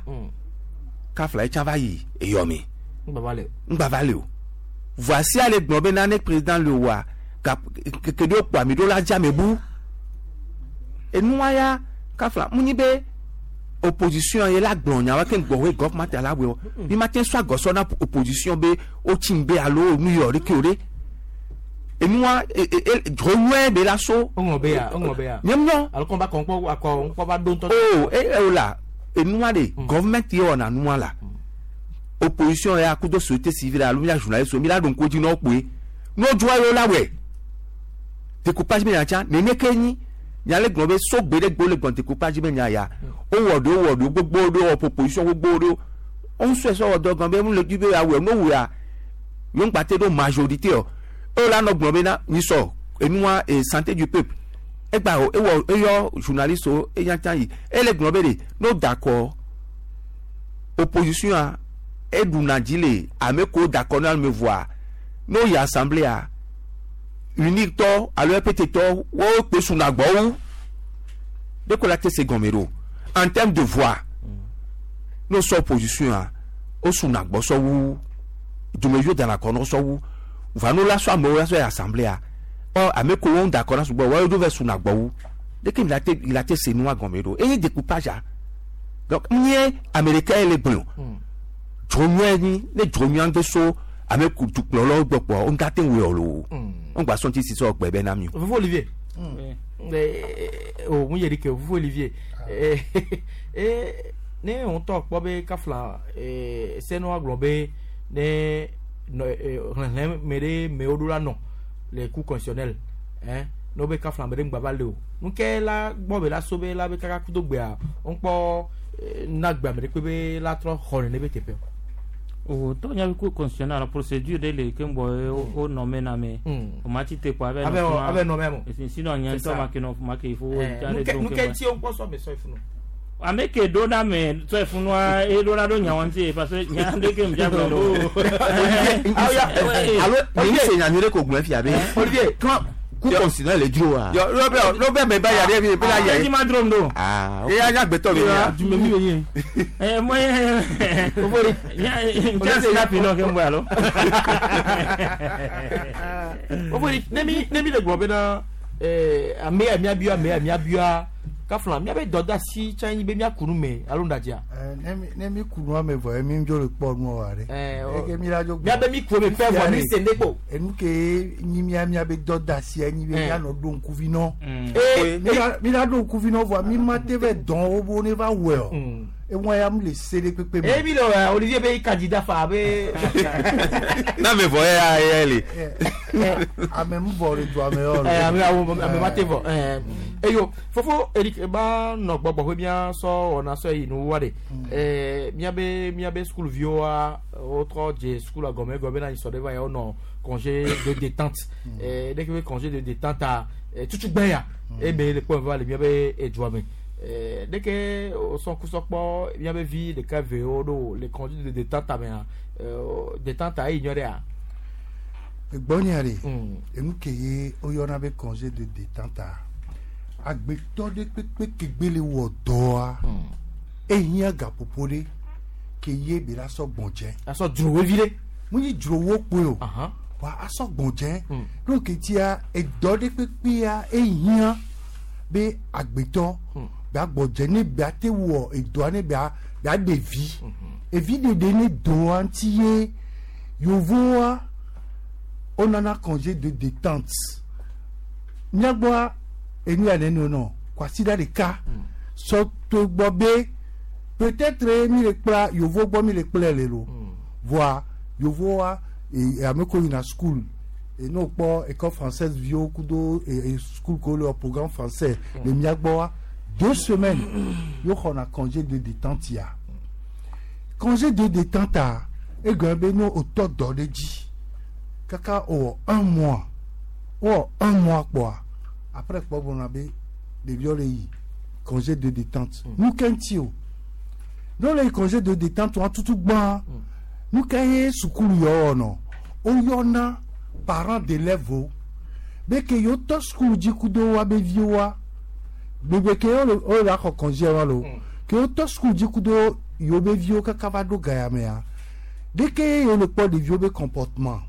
kafla etsã va yi eyɔme. Ŋgbava le. Ŋgbava le o. Voa sia le gblɔ be nane président le oa ga keke ɖewo kpɔ ami ɖo la dze ame bu. Enua ya kafla mu nyi be opposition ye la gblɔ nyawo ke gbɔ hoe gɔvɛmɛnt la wɔ o. Mi ma te sɔ agɔsɔ na opposition be wotsi ŋgbe alo nu yɔ ɖeke o ɖe. Enua e e e dzro be la so. Ŋlɔ be ya ŋlɔ be ya. Nye ŋlɔ. Alo kɔn ba kɔn kpɔ akɔ ŋkpɔ va ɖo ŋutɔ. O e e o la enua de gɔvɛmɛnt ye wɔna nua la. Opposition ya kudo société civile alo mia journaliste mi la ɖo ŋku dzi na wo kpoe. Ne wodzroa yewo la wɔe. Découpage be nya tsã nene ke nyi nya le gblɔ be so gbe ɖe gbe le gblɔ découpage be nya ya wowɔ ɖewo wɔ ɖewo gbogbo ɖewo wɔ proposition gbogbo ɖewo wo ŋusue sɔ wɔ dɔ gan be mu le dzi be awɔe no wɔa yewo ŋgba te ɖo majorité o eye la nɔ gblɔ be na nyisɔ enua e santé du peuple egba o ewɔ eyɔ journaliste wo eya tsã yi ele gblɔ be de no d'accord opposition a eɖuna dzi le ame kewo d'accord na ame voa no yi assemblée a unique tɔ alo EPT tɔ wo kpe suna gbɔ wu de ko la te se gɔme ɖo en terme de voix n'o sɔ opposition a o suna gbɔ sɔ wu dumeviwo dana kɔ n'o sɔ wu va n'o la sɔ amewo la sɔ yi assemblée a ɔ ame kewo ŋu d'accord na sugbɔ wɔyewo do vɛ suna gbɔ wu de ke la te la te se nua gɔme ɖo eye découpage a donc nye ame ɖeka ye le gblɔ dzro nyuie nyi ne dzro nyuie ŋgbe so ame ku dukplɔlawo gbɔ kpɔ wo ŋga te ŋu yɔ lo wo ŋgba sɔn ti si sɔ gbɛ bɛ na mi o. Fofo Olivier. O mu yeri ke Fofo Olivier. Eh ne ŋutɔ kpɔ be kafla eh senu agblɔ be ne nɔ hlẽhlẽ me ɖe mewo ɖo la nɔ le cour constitutionnel hein ne be kafla me ɖe ŋgba va le o nuke la gbɔ be la so be la be kaka kudo gbea ŋkpɔ na gbea me ɖe kpe be la trɔ xɔ nene be teƒe o to nya cour constitutionnel la procédure de le ke ŋgbɔ o nɔmɛ na me o ma ti te kɔ abe abe abe nɔmɛ mo sinon nya ŋutɔ ma ke nɔ ma ke fo nuke ŋuti wo ŋkpɔ sɔ me sɔ ifunu ame ke do na me sɔ ifunua e do na do nya wɔn ti parce que nya de ke ŋdza gblɔ do alo mi se nya nyuie ɖe ko gblɔ fia be Olivier quand cour constitutionnel le dzro wa. yɔ lɔbɛ lɔbɛ mɛ ba ya ɖe mi bɛ la yɛ. ma drom do. aa ok eya nya gbɛtɔ mi ya. Dumemi be nye. ɛ mɔ ye nya nya sinapi nɔ ke ŋgbɔ alo. Ofori ne mi ne mi le gblɔ bena ɛɛ ame ya miabia ame ya miabia kafla miabe dɔdeasi tsã nyi be miaku nu me alo ŋdadzia. Ne mi ne mi ku nua me vɔ ye mi dzo le kpɔ nua wa ɖe. Eke mi la dzo. Miabe mi ku me fɛ vɔ mi se ne kpo. Enu ke nyi mia miabe dɔdeasi nyi be mianɔ ɖo ŋkuvi nɔ. Ee mi la mi la ɖo ŋkuvi nɔ vɔa mi ma te vɛ dɔn wo bo ne va wɔe o. Ewa ya mu le se ɖe kpekpe me. Ebi le Olivier be candidat fa be. Na me vɔ ya ya le. Ame mu vɔ le du ame yɔ. Eh ame awo ame ma te vɔ. Eh eyo fofo Eric ba nɔ gbɔgbɔ ƒe mía sɔ wɔna sɔ yi nu wa de. Eh mía be mía be school viwo wotrɔ dze school gɔme gɔme na sɔ de va ya wonɔ congé de détente. Eh dès que congé de détente a tutu gbɛ ya. E be le kpɔ va le mía be edua me. Dès que son coup sort il y avait vie de K V O les congés de détente mais détente à ignorer à gbɔnyare enu ke ye oyɔna be congé de détente a agbetɔ ɖe kpekpe kegbe le wɔ dɔa ehiã gaƒoƒo ɖe ke ye be la sɔ gbɔdze asɔ dzrowo vi ɖe mu nyi dzrowo kpoe o wa asɔ gbɔdze donc tia edɔ ɖe kpekpea ehiã be agbetɔ bia gbɔdze ne bia te wɔ edɔa ne bia bia ɖe vi evi ɖeɖe ne dɔa ŋuti ye yevoa wonana congé de détente míagbɔa enu ya nene nɔ kwasiɖa ɖeka sɔ to gbɔ be peut-être mi le kpla yevo gbɔ mi le kplɛ le lo voa yevoa ame ko yina school et nous kpɔ école française viwo kudo e school ko le programme français le míagbɔa deux semaines yo xɔna congé de détente ya congé de détente a egɔme be no wotɔ dɔ ɖe dzi kaka wòwɔ un mois wowɔ un mois kpɔa après kpɔ gblɔna be ɖeviwo le yi congé de détente nu ke ŋuti o ne wole yi congé de détente wa tutu gbã nu ke ye sukulu yɔ wɔnɔ woyɔna parents d'élèves wo be ke yewo tɔ sukulu dzi kudo wa be viwoa gbegbe ke wo le axɔ congé wa lo ke yewo tɔ sukulu dzi kudo yewo be viwo kaka va ɖo gaya mea dès que yewo le kpɔ ɖeviwo be comportement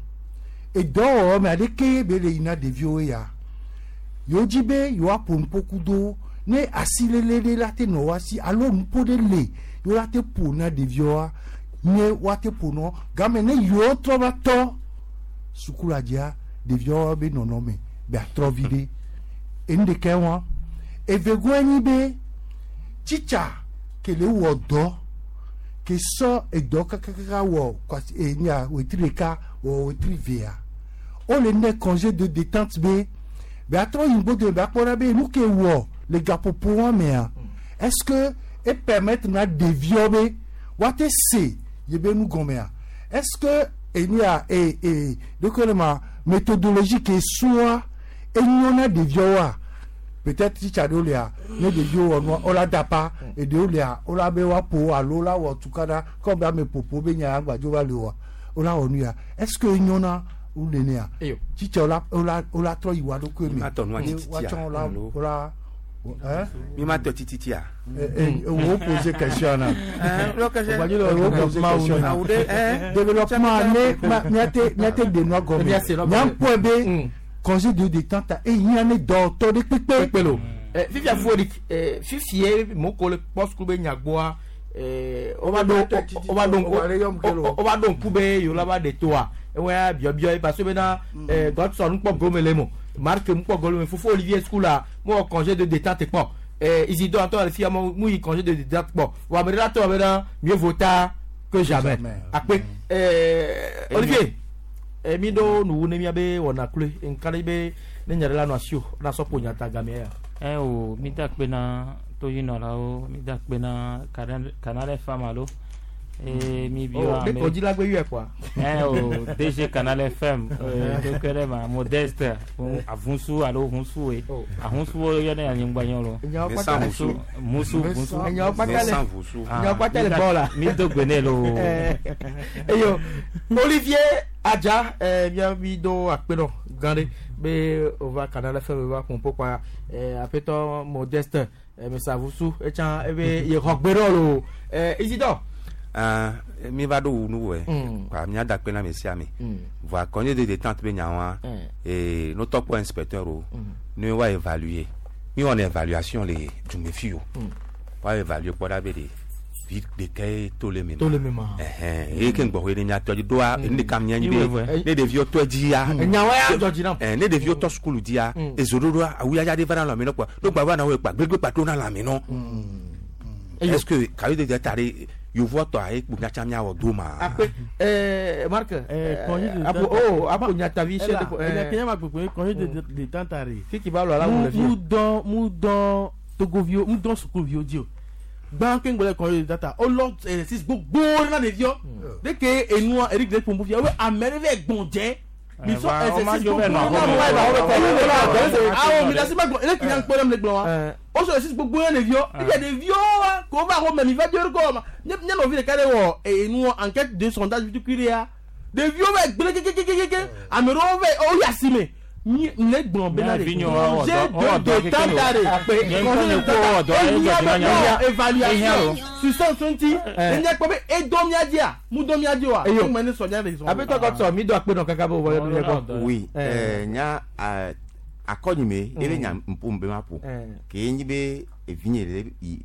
edɔwɔwɔ mea dès que be le yina ɖeviwo ya yewo dzi be yewoaƒo nuƒo kudo ne asilele ɖe la te nɔ wa si alo nuƒo ɖe le yewo la te ƒo na ɖeviwoa nye woate ƒo nɔ game ne yewo trɔ va tɔ sukula dzia ɖeviwo be nɔnɔme be atrɔ vi ɖe enu ɖeka wa evegoe nyi be tsitsa ke le wɔ dɔ ke sɔ edɔ kakakaka wɔ kwasi enya wetri ɖeka wɔ wetri vea wole ne congé de détente be be atrɔ yi ŋgbodo be akpɔ ɖa be nu ke wɔ le gaƒoƒo wa mea est-ce que e permettre na ɖeviwo be woate se ye be nu gɔmea est-ce que enya e e donc le ma méthodologie ke soa enyo na ɖeviwoa peut-être titsa ɖewo lia ne ɖeviwo wɔ nua wola da pa eɖewo lia wola be woaƒo alo wola wɔ tukaɖa kɔ be ame ƒoƒo be nya agbadzo va le oa wola wɔ nu ya est-ce que enyo na wo nenea titsa wola wola wola trɔ yi wa ɖokui me woatsɔ wola wola. Mi ma tɔ tititia. Wo pose question na. Wo pose question na. Développement ne miate miate de nua gɔme. Miakpɔe be congé de détente e hiã ne dɔtɔ ɖe kpekpe. Kpekpe lo. Fifia fu Eric fifie moko le kpɔ sukulu be nyagbɔa wova ɖo wova ɖo wova ɖo ŋku be yewo la va ɖe toa ewɔ ya biɔbiɔ ye parce que bena Godson ŋkpɔ gome le mo. Marc Mpogolo fofo Olivier Skoula mo congé de détente kpɔ eh Isidore Antoine fia mo mu yi congé de détente kpɔ wa me la to be mieux vaut tard que jamais akpe eh Olivier eh mi do nu ne mi abe wona kle nkale be ne nyare la no asio na so ponya ta game ya eh o mi da kpe na to yino la o mi da kpe na Canal F M alo eh mi bio oh, ame odi la gbe yue quoi eh o D G Canal F M euh donc ma Modeste avunsu alo hunsu e ahunsu wo yo ne anyingba yan lo musu musu musu enyo patale enyo patale bola mi do gbene lo eyo Olivier Adja eh bien mi do akpeno gande be ova Canal F M va pompo quoi eh apeto Modeste mais avusu e chan e be ye rogbero lo eh Isidore ah mi va do nu we kwa mi ada pe na mesia mi voa congé de détente be nyawa et nos top inspecteur o nous va évaluer mi on évaluation les du mefio va évaluer pour la be vi de ke to le mema to le mema eh eh ke ngbo we ni ato di do a ni kam nyanyi be ne de vi to di ya nyawa ya joji na eh ne de vi to school di ya ezorodo awuya ya de va na la mi no kwa do gba va na we pa gbegbe pa to na la mi no Est-ce que cahier de dette are yovo tɔ aye kpo miatsa miawɔ do ma. Akpe eh Marc Eh, congé de apo oh apo nyatavi Ela, chef de ela, kenya ma kpekpe congé de de détente are. Kiki ba lo ala wo le Mu fi. dɔn mu dɔn togovio mu dɔn sukuviwo di o. Gbã ke ŋgbɔ le congé de détente o lɔ exercice gbogbo na ɖeviɔ. De ke enua Eric de pompo fia wo ame ɖe vɛ gbɔn dze. Mi sɔ Eh, va, o ma exercice dzo gbogbo vɛ nɔ na xɔme. wo awo mi da si ma gbɔn ele kinya ŋkpɔ ɖe mi le gblɔ wa. O sɔ exercice gbogbo na ɖeviɔ. Ebi ɖeviwo wa ko va xɔ mɛ mi va dzo ɖe kɔ ma. Nye nye nɔvi ɖeka ɖe wɔ enua enquête de sondage tukui ɖea. Ɖeviwo vɛ gblẽ kekekekeke ame ɖewo vɛ o yi asime. Mi ne gblɔ bena Mía de vi nyɔ wa wɔ congé dɔ- wɔ de dɔ keke détente o. are. Nye ŋutɔ nye ku wɔ dɔ, Congé de edzɔ dzi na détente nya. évaluation Ehiã o. substance ŋuti enye kpɔ be edɔ mía dzia mu dɔ mía dzi oa Eyo. ŋmɛ ne sɔ mía de sɔn. Apetɔ Godson mi do akpe nɔ kaka bo wɔ yɔ gbɔ. Oui, eh, nya eh, akɔnyime ebe nya ƒo be ma ƒo. Eh. Ke nyi be evinye le yi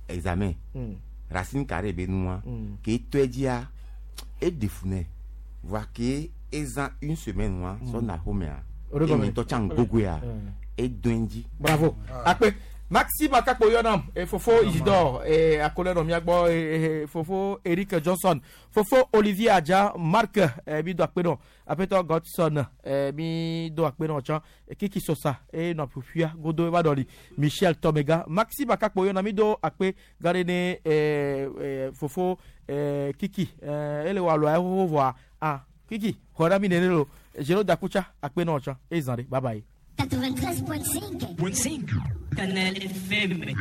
examen. Mm. Racine carrée be nua. Mm. Ke tɔe dzia eɖe fu nɛ. Voa ke ezã une semaine wa sɔ na xɔmea. O ɖe gɔme. Eye ŋutɔ tsã gogoea. Edoe dzi. Bravo. Akpe Maxime Akakpo yɔnam e fofo Isidore e akole nɔ mía gbɔ e, e, fofo Eric Johnson fofo Olivier Adja Marc e, mi do akpe nɔ Apetɔ Godson e, mi do akpe nɔ tsã e, Kiki Sosa e nɔ ƒuƒuia godo eva ɖɔli Michel Tomega Maxime Akakpo yɔnam mi do akpe gã ɖe ne e, e, fofo e, Kiki e, ele wɔ alɔa xoxo vɔa ah Kiki xɔ ɖa mi nene lo Jero Dakutsa akpe nɔ tsã e zã ɖe bye bye. quatre-vingt-treize point cinq. Canal F M.